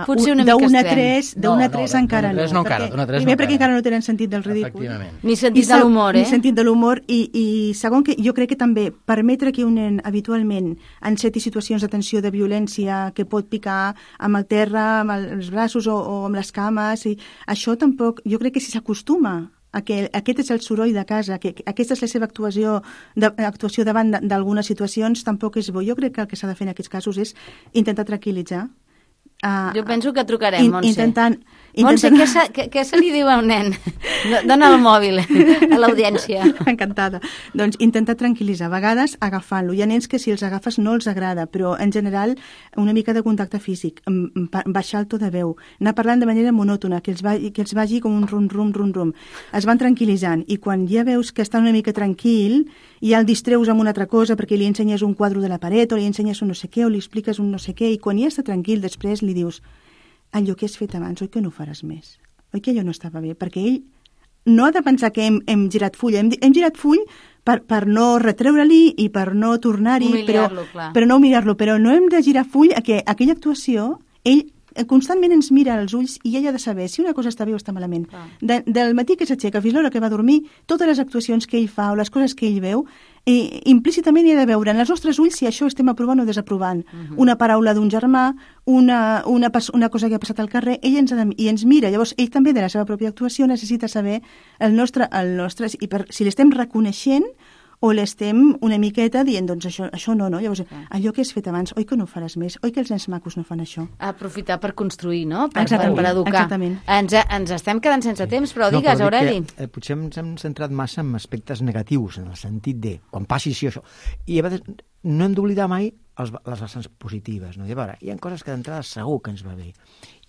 Speaker 3: potser una mica
Speaker 2: d'una
Speaker 3: a
Speaker 2: 3 encara no. Primer perquè encara no tenen sentit del ridícul.
Speaker 3: Ni sentit de l'humor,
Speaker 2: Ni sentit de l'humor, i segon, que jo crec que també permetre que un nen habitualment enceti situacions de tensió, de violència, que pot picar amb el terra, amb els braços o amb les cames, i això tampoc, jo crec que si s'acostuma que aquest és el soroll de casa, que aquesta és la seva actuació davant d'algunes situacions, tampoc és bo. Jo crec que el que s'ha de fer en aquests casos és intentar tranquil·litzar.
Speaker 3: Jo penso que trucarem, Montse.
Speaker 2: Montse,
Speaker 3: què se li diu a un nen? Dóna el mòbil a l'audiència.
Speaker 2: Encantada. Doncs intentar tranquil·litzar. A vegades agafant-lo. Hi ha nens que si els agafes no els agrada, però en general una mica de contacte físic, baixar el to de veu, anar parlant de manera monòtona, que els vagi com un rum-rum. Es van tranquil·litzant i quan ja veus que està una mica tranquil, ja el distreus amb una altra cosa perquè li ensenyes un quadre de la paret o li ensenyes un no sé què o li expliques un no sé què, i quan ja està tranquil després li dius, allò que has fet abans, oi que no ho faràs més? Oi que allò no estava bé? Perquè ell no ha de pensar que hem girat full. Hem girat full per no retreure-li i per no tornar-hi, però no humiliar-lo. Però no hem de girar full a que aquella actuació, ell constantment ens mira als ulls i ell ha de saber si una cosa està bé o està malament. Del matí que s'aixeca fins l'hora que va dormir, totes les actuacions que ell fa o les coses que ell veu, implícitament hi ha de veure en els nostres ulls si això estem aprovant o desaprovant. Una paraula d'un germà, una cosa que ha passat al carrer, ell ens mira. Llavors, ell també de la seva pròpia actuació necessita saber el nostre i si l'estem reconeixent o l'estem una miqueta dient, doncs això no, no? Llavors, allò que has fet abans, oi que no ho faràs més? Oi que els nens macos no fan això?
Speaker 3: Aprofitar per construir, no? Per educar.
Speaker 2: Exactament.
Speaker 3: Ens estem quedant sense temps, però digues, Aureli.
Speaker 5: Potser ens hem centrat massa en aspectes negatius, en el sentit de, quan passi això, i a vegades no hem d'oblidar mai les vessants positives. No? I a veure, hi ha coses que d'entrada segur que ens va bé,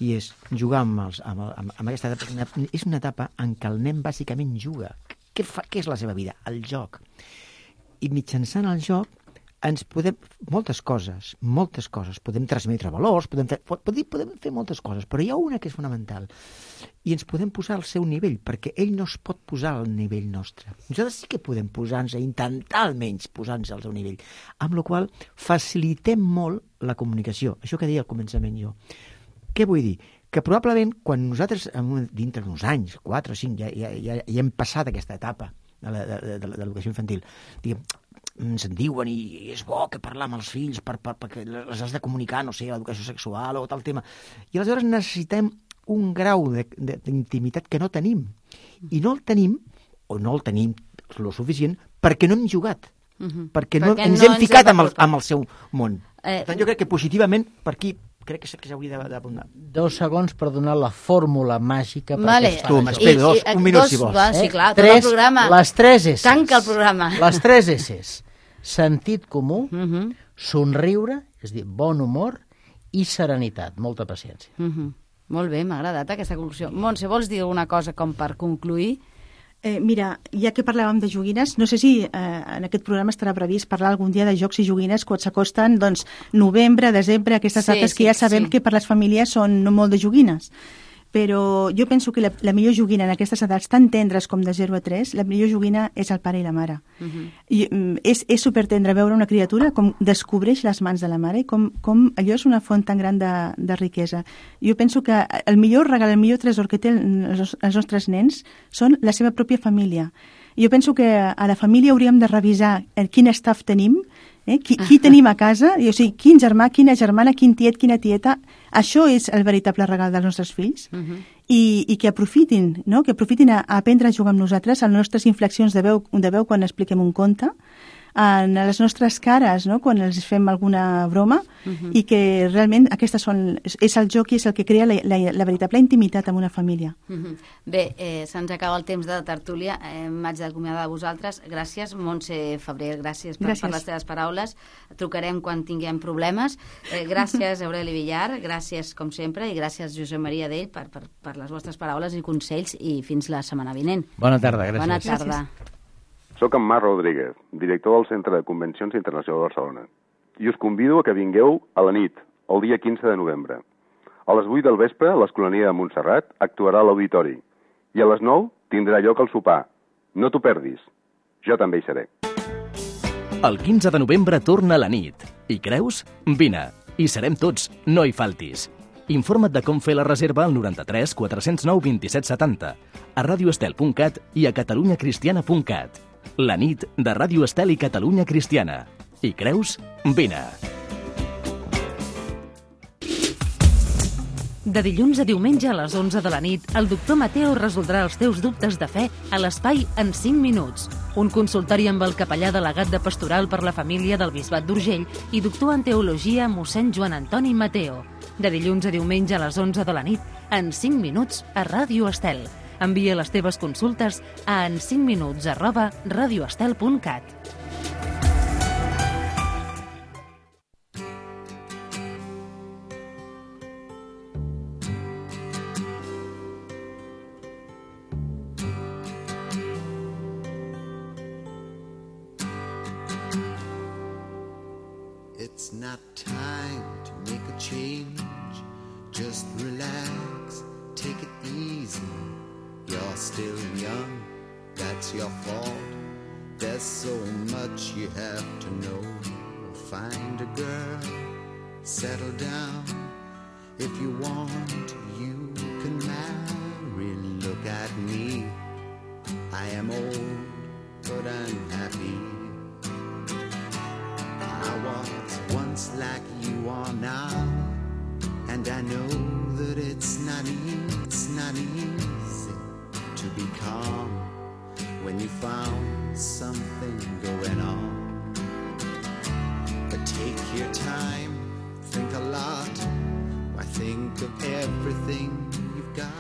Speaker 5: i és jugar amb aquesta etapa. És una etapa en què el nen bàsicament juga. Què és la seva vida? El joc. I mitjançant el joc ens podem... Moltes coses. Podem transmetre valors, podem fer moltes coses, però hi ha una que és fonamental. I ens podem posar al seu nivell, perquè ell no es pot posar al nivell nostre. Nosaltres sí que podem posar-nos a intentar almenys posar-nos al seu nivell. Amb la qual cosa facilitem molt la comunicació. Això que deia al començament jo. Què vull dir? Que probablement quan nosaltres, dintre d'uns anys, 4 o 5, ja hem passat aquesta etapa de l'educació infantil, diguem, ens en diuen i és bo que parlar amb els fills perquè les has de comunicar, no sé, l'educació sexual o tal tema. I aleshores necessitem un grau d'intimitat que no tenim. I no el tenim lo suficient perquè no hem jugat, perquè no ens hem ficat amb el seu món. Per tant, jo crec que positivament per aquí crec que s'hauria d'apuntar.
Speaker 6: 2 segons per donar la fórmula màgica.
Speaker 5: Tu, m'espero, un minut si vols.
Speaker 3: Sí, clar, tot el programa.
Speaker 6: Les 3 S's.
Speaker 3: Tanca el programa.
Speaker 6: Les 3 S's. Sentit comú, somriure, és a dir, bon humor, i serenitat, molta paciència.
Speaker 3: Molt bé, m'ha agradat aquesta conclusió. Montse, vols dir alguna cosa com per concluir?
Speaker 2: Mira, ja que parlàvem de joguines, no sé si en aquest programa estarà previst parlar algun dia de jocs i joguines quan s'acosten, doncs, novembre, desembre, aquestes dates que ja sabem que per les famílies són molt de joguines. Però jo penso que la millor joguina en aquestes edats tan tendres com de 0 a 3, la millor joguina és el pare i la mare. I, és supertendre veure una criatura com descobreix les mans de la mare i com allò és una font tan gran de riquesa. Jo penso que el millor regal, el millor tresor que tenen els nostres nens són la seva pròpia família. Jo penso que a la família hauríem de revisar quin staff tenim, qui tenim a casa, o sigui, quin germà, quina germana, quin tiet, quina tieta. Això és el veritable regal dels nostres fills. I que aprofitin, no? Que aprofitin a aprendre a jugar amb nosaltres, a les nostres inflexions de veu quan expliquem un conte, en les nostres cares, no? Quan els fem alguna broma, i que realment és el joc i és el que crea la veritable intimitat en una família.
Speaker 3: Bé, se'ns acaba el temps de tertúlia. M'haig d'acomiadar de vosaltres. Gràcies, Montse Febrer, gràcies per les teves paraules. Trucarem quan tinguem problemes. Gràcies, Aureli Villar, gràcies com sempre, i gràcies, Josep Maria Dell, per les vostres paraules i consells, i fins la setmana vinent.
Speaker 6: Bona tarda, gràcies.
Speaker 3: Bona tarda.
Speaker 7: Soc en Marc Rodríguez, director del Centre de Convencions Internacional de Barcelona, i us convido a que vingueu a la nit, el dia 15 de novembre. A les 8 del vespre, l'Escolania de Montserrat actuarà a l'auditori, i a les 9 tindrà lloc el sopar. No t'ho perdis. Jo també hi seré.
Speaker 8: El 15 de novembre torna la nit. I creus? Vine. Hi serem tots, no hi faltis. Informa't de com fer la reserva al 93 409 27 70, a radioestel.cat i a catalunyacristiana.cat. La nit de Ràdio Estel i Catalunya Cristiana. Hi creus? Vine.
Speaker 1: De dilluns a diumenge a les 11 de la nit, el doctor Mateo resoldrà els teus dubtes de fe a l'espai En 5 minuts. Un consultori amb el capellà delegat de Pastoral per la Família del Bisbat d'Urgell i doctor en Teologia mossèn Joan Antoni Mateo. De dilluns a diumenge a les 11 de la nit, En 5 minuts, a Ràdio Estel. Envia les teves consultes a en5minuts@radioestel.cat.
Speaker 9: It's not time to make a change. Just relax, take it easy. You're still young, that's your fault. There's so much you have to know. Find a girl, settle down. If you want, you can marry. Look at me, I am old, but I'm happy. I was once like you are now, and I know that it's not easy to be calm when you found something going on. But take your time, think a lot, why think of everything you've got.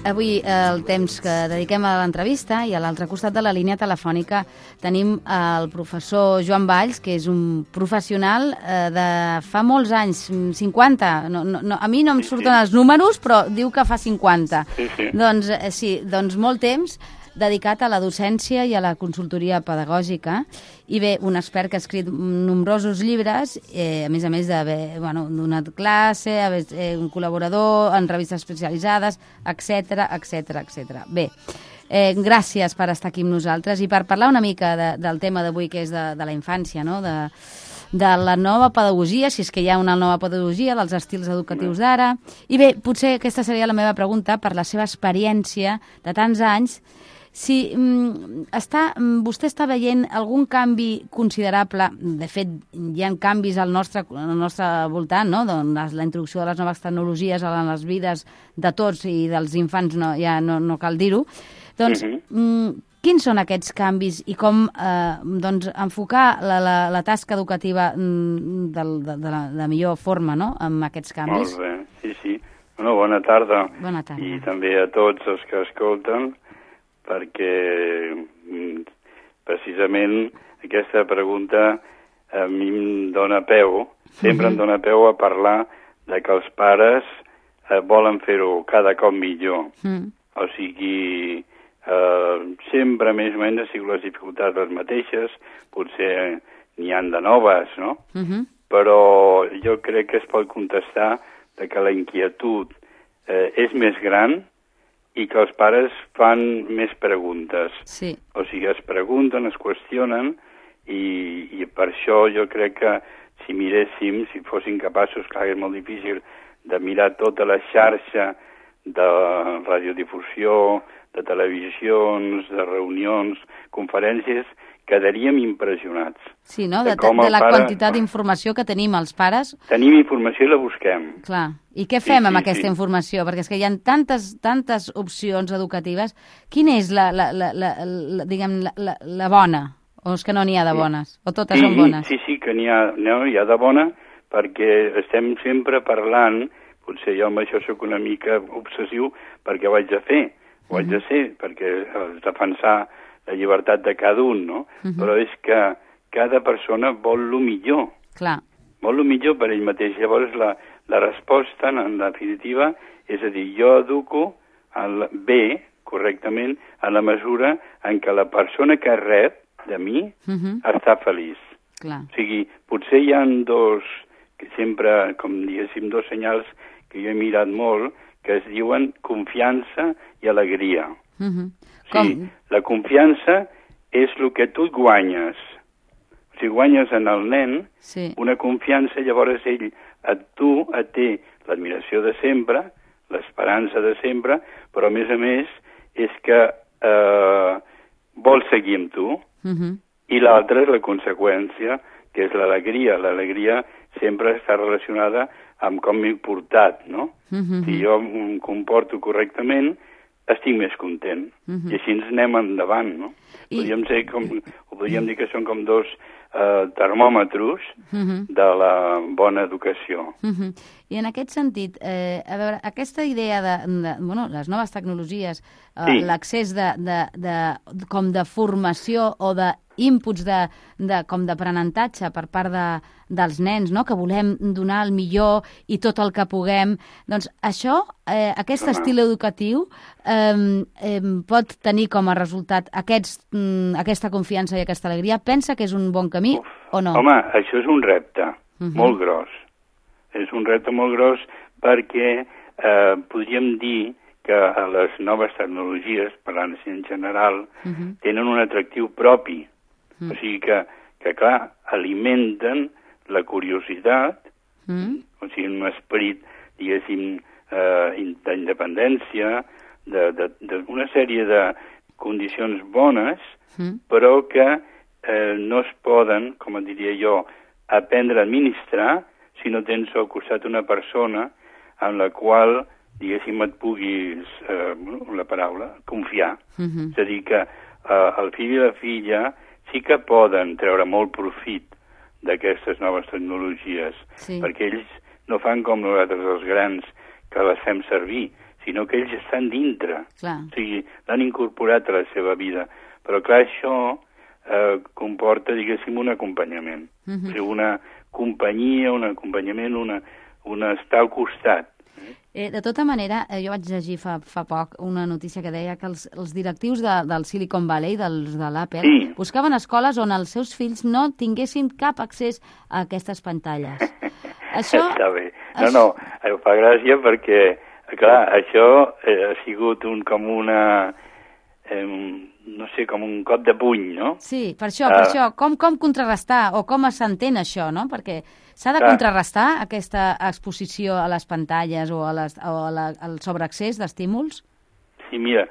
Speaker 3: Avui el temps que dediquem a l'entrevista i a l'altre costat de la línia telefònica tenim el professor Joan Valls, que és un professional de fa molts anys, 50. A mi no em surten els números, però diu que fa 50.
Speaker 10: Sí.
Speaker 3: Doncs molt temps dedicat a la docència i a la consultoria pedagògica. I bé, un expert que ha escrit nombrosos llibres, a més d'haver donat classe, un col·laborador en revistes especialitzades, etc. Bé, gràcies per estar aquí amb nosaltres i per parlar una mica del tema d'avui, que és de la infància, no?, de la nova pedagogia, si és que hi ha una nova pedagogia, dels estils educatius d'ara. I bé, potser aquesta seria la meva pregunta, per la seva experiència de tants anys, si vostè està veient algun canvi considerable. De fet, hi ha canvis al nostre voltant, no? Doncs la introducció de les noves tecnologies a les vides de tots i dels infants, no cal dir-ho. Doncs, quins són aquests canvis i com enfocar la tasca educativa de la millor forma, no?, amb aquests canvis?
Speaker 10: Molt bé, sí. Bona tarda.
Speaker 3: Bona tarda.
Speaker 10: I també a tots els que escolten, perquè precisament aquesta pregunta a mi em dóna peu, sempre em dóna peu a parlar de que els pares volen fer-ho cada cop millor. O sigui, sempre més o menys han sigut les dificultats les mateixes, potser n'hi han de noves, no? Però jo crec que es pot contestar de que la inquietud és més gran i que els pares fan més preguntes.
Speaker 3: Sí.
Speaker 10: O sigui, es pregunten, es qüestionen, i per això jo crec que si miréssim, si fossin capaços, clar, és molt difícil, de mirar tota la xarxa de radiodifusió, de televisions, de reunions, conferències, quedaríem impressionats.
Speaker 3: Sí, no?, de la quantitat d'informació que tenim els pares.
Speaker 10: Tenim informació i la busquem.
Speaker 3: Clar. I què fem amb aquesta informació? Perquè és que hi ha tantes opcions educatives. Quina és la bona? O és que no n'hi ha de bones? O totes són bones?
Speaker 10: Sí, que n'hi ha de bona, perquè estem sempre parlant, potser jo amb això sóc una mica obsessiu, perquè ho haig de fer, perquè defensar la llibertat de cada un, no? Però és que cada persona vol el millor.
Speaker 3: Clar.
Speaker 10: Vol el millor per ell mateix. Llavors la resposta, en definitiva, és a dir, jo educo bé, correctament, en la mesura en què la persona que rep de mi està feliç.
Speaker 3: Clar.
Speaker 10: O sigui, potser hi ha dos senyals que jo he mirat molt, que es diuen confiança i alegria. Sí, la confiança és el que tu guanyes. Si guanyes en el nen, una confiança, llavors ell et té l'admiració de sempre, l'esperança de sempre, però a més és que vol seguir amb tu, i l'altra és la conseqüència, que és l'alegria. L'alegria sempre està relacionada amb com m'he portat, no? Si jo em comporto correctament, estic més content. I així ens anem endavant, no? Podríem dir que són com dos termòmetres de la bona educació.
Speaker 3: I en aquest sentit, a veure, aquesta idea de les noves tecnologies, l'accés com de formació o d'inputs com d'aprenentatge per part dels nens, no?, que volem donar el millor i tot el que puguem, doncs això, aquest estil educatiu pot tenir com a resultat aquesta confiança i aquesta alegria. Pensa que és un bon camí o no?
Speaker 10: Home, això és un repte molt gros. És un repte molt gros perquè podríem dir que les noves tecnologies, parlant en general, tenen un atractiu propi. O sigui que clar, alimenten la curiositat, o sigui, un esperit, diguéssim, d'independència, d'una sèrie de condicions bones, però que no es poden, com diria jo, aprendre a administrar si no tens al costat una persona en la qual, diguéssim, et puguis, la paraula, confiar. És a dir, que el fill i la filla sí que poden treure molt profit d'aquestes noves tecnologies, perquè ells no fan com nosaltres els grans que les fem servir, sinó que ells estan dintre.
Speaker 3: Clar.
Speaker 10: O sigui, l'han incorporat a la seva vida. Però clar, això comporta, diguéssim, un acompanyament. O sigui, una companyia, un acompanyament, un estar al costat.
Speaker 3: De tota manera, jo vaig llegir fa poc una notícia que deia que els directius del Silicon Valley, de l'Apple, buscaven escoles on els seus fills no tinguessin cap accés a aquestes pantalles. Això...
Speaker 10: Està bé. No, em fa gràcia perquè, clar, això ha sigut com una... no sé, com un cop de puny, no?
Speaker 3: Sí, per això. Com contrarrestar o com s'entén això, no? Perquè s'ha de contrarrestar aquesta exposició a les pantalles o al sobreaccés d'estímuls?
Speaker 10: Sí, mira,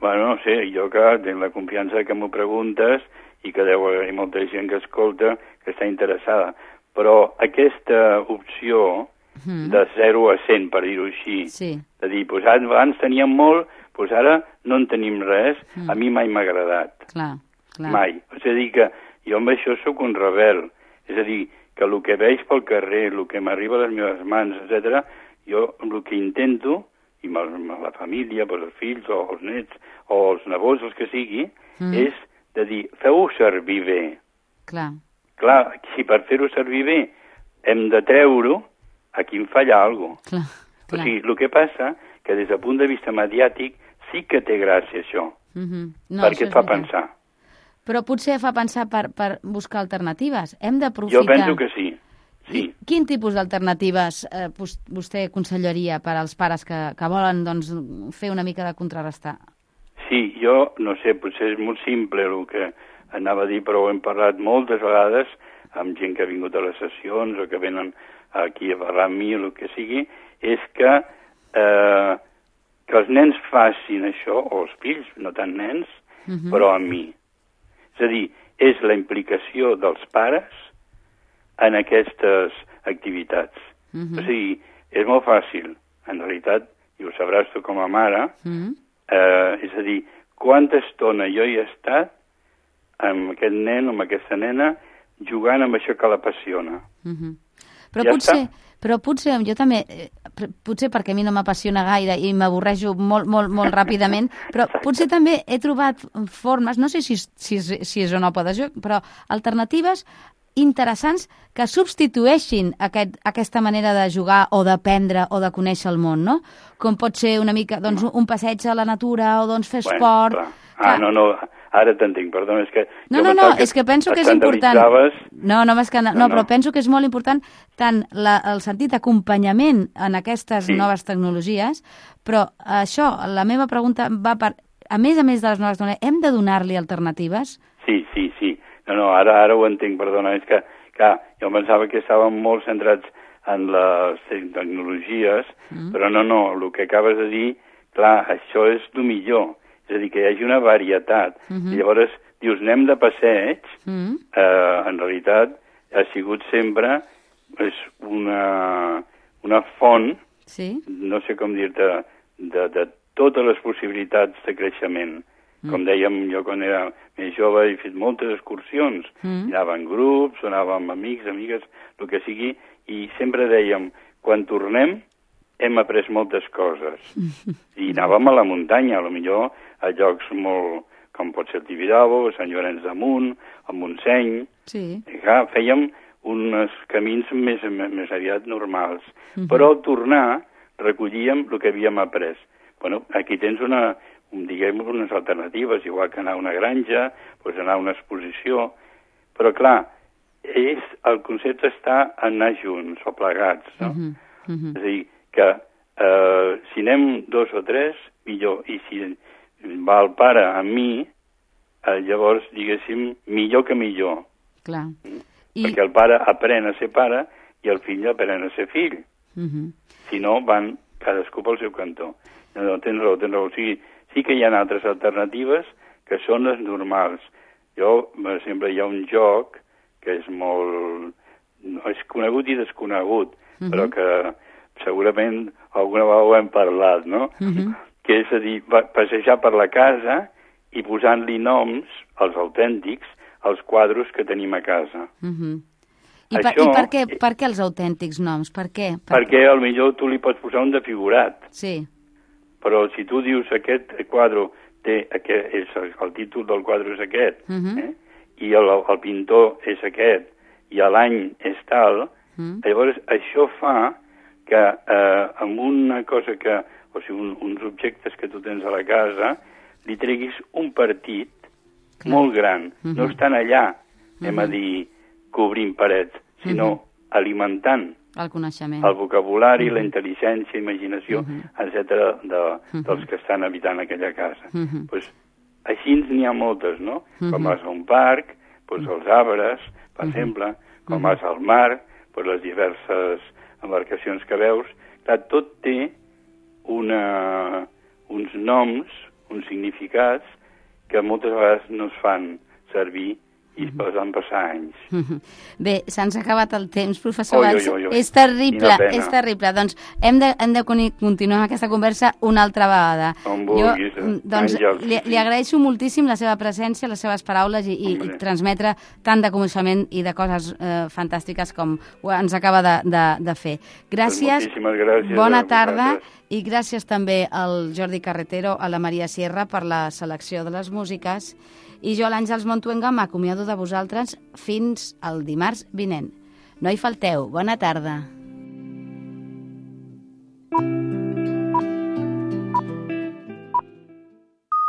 Speaker 10: bueno, no sé, jo que tinc la confiança que m'ho preguntes i que deu haver molta gent que escolta que està interessada, però aquesta opció de 0 a 100, per dir-ho així, de dir, doncs abans teníem molt, doncs ara no en tenim res, a mi mai m'ha agradat.
Speaker 3: Clar.
Speaker 10: Mai. És a dir, que jo amb això sóc un rebel. És a dir, que el que veig pel carrer, el que m'arriba a les meves mans, etc., jo el que intento, i amb la família, els fills o els nets o els nebots, els que sigui, és de dir, feu-ho servir bé.
Speaker 3: Clar,
Speaker 10: si per fer-ho servir bé hem de treure-ho, aquí em falla alguna cosa. O sigui, el que passa que des del punt de vista mediàtic sí que té gràcia això, perquè et fa pensar.
Speaker 3: Però potser fa pensar per buscar alternatives. Hem d'aprofitar...
Speaker 10: Jo penso que sí.
Speaker 3: Quin tipus d'alternatives vostè aconsellaria per als pares que volen fer una mica de contrarrestar?
Speaker 10: Sí, jo, no sé, potser és molt simple el que anava a dir, però ho hem parlat moltes vegades amb gent que ha vingut a les sessions o que venen aquí a parlar amb mi o el que sigui, és que els nens facin això, o els fills, no tant nens, però amb mi. És a dir, és la implicació dels pares en aquestes activitats. O sigui, és molt fàcil, en realitat, i ho sabràs tu com a mare, és a dir, quanta estona jo hi he estat amb aquest nen o amb aquesta nena jugant amb això que l'apassiona.
Speaker 3: Però potser jo també, potser perquè a mi no m'apassiona gaire i m'avorrejo molt ràpidament, però potser també he trobat formes, no sé si és o no podes jo, però alternatives interessants que substitueixin aquesta manera de jugar o d'aprendre o de conèixer el món, no? Com pot ser una mica un passeig a la natura o fer esport...
Speaker 10: No, ara t'entenc, perdona, és que...
Speaker 3: No, és que penso que és important... però penso que és molt important tant el sentit d'acompanyament en aquestes noves tecnologies, però això, la meva pregunta va per... A més de les noves tecnologies, hem de donar-li alternatives?
Speaker 10: Sí. No, ara ho entenc, perdona, és que, clar, jo pensava que estàvem molt centrats en les tecnologies, però no, el que acabes de dir, clar, això és el millor. És a dir, que hi hagi una varietat. I llavors dius, anem de passeig, en realitat ha sigut sempre una font, no sé com dir-te, de totes les possibilitats de creixement. Com dèiem, jo quan era més jove he fet moltes excursions, anava en grups, anava amb amics, amigues, el que sigui, i sempre dèiem, quan tornem hem après moltes coses. I anàvem a la muntanya, potser a llocs molt, com pot ser el Tibidabo, a Sant Llorenç de Munt, a Montseny. I clar, fèiem uns camins més aviat normals. Però al tornar recollíem el que havíem après. Bueno, aquí tens unes alternatives, igual que anar a una granja, anar a una exposició, però clar, el concepte està en anar junts o plegats, no? És a dir, que si anem 2 o 3, millor, i si va el pare amb mi, llavors, diguéssim, millor que millor.
Speaker 3: Clar.
Speaker 10: Perquè el pare aprèn a ser pare i el fill aprèn a ser fill. Si no, van cadascú pel seu cantó. No, tens raó. O sigui, sí que hi ha altres alternatives que són les normals. Sempre hi ha un joc que és molt... és conegut i desconegut, però que segurament alguna vegada ho hem parlat, no? Que és a dir, passejar per la casa i posant-li noms, els autèntics, als quadros que tenim a casa.
Speaker 3: I per què els autèntics noms? Per què?
Speaker 10: Perquè potser tu li pots posar un de figurat.
Speaker 3: Sí.
Speaker 10: Però si tu dius aquest quadre té el títol del quadre és aquest, i el pintor és aquest, i l'any és tal, llavors això fa que amb una cosa que, o sigui, uns objectes que tu tens a la casa, li treguis un partit molt gran. No estan allà, anem a dir, cobrint parets, sinó alimentant
Speaker 3: el coneixement,
Speaker 10: el vocabulari, la intel·ligència, imaginació, etc. dels que estan habitant aquella casa. Pues, així n'hi ha moltes, no? Quan vas a un parc, pues, els arbres, per exemple, quan vas al mar, pues, les diverses embarcacions que veus, clar, tot té uns noms, uns significats que moltes vegades no es fan servir i van passar anys.
Speaker 3: Bé, se'ns ha acabat el temps, professor Valls. És terrible, és terrible. Doncs hem de continuar aquesta conversa una altra vegada.
Speaker 10: On vulguis,
Speaker 3: doncs, li agraeixo moltíssim la seva presència, les seves paraules i transmetre tant de coneixement i de coses fantàstiques com ens acaba de fer. Gràcies, bona tarda, i gràcies també al Jordi Carretero, a la Maria Sierra per la selecció de les músiques. I jo, l'Àngels Montuenga, m'acomiado de vosaltres fins al dimarts vinent. No hi falteu. Bona tarda.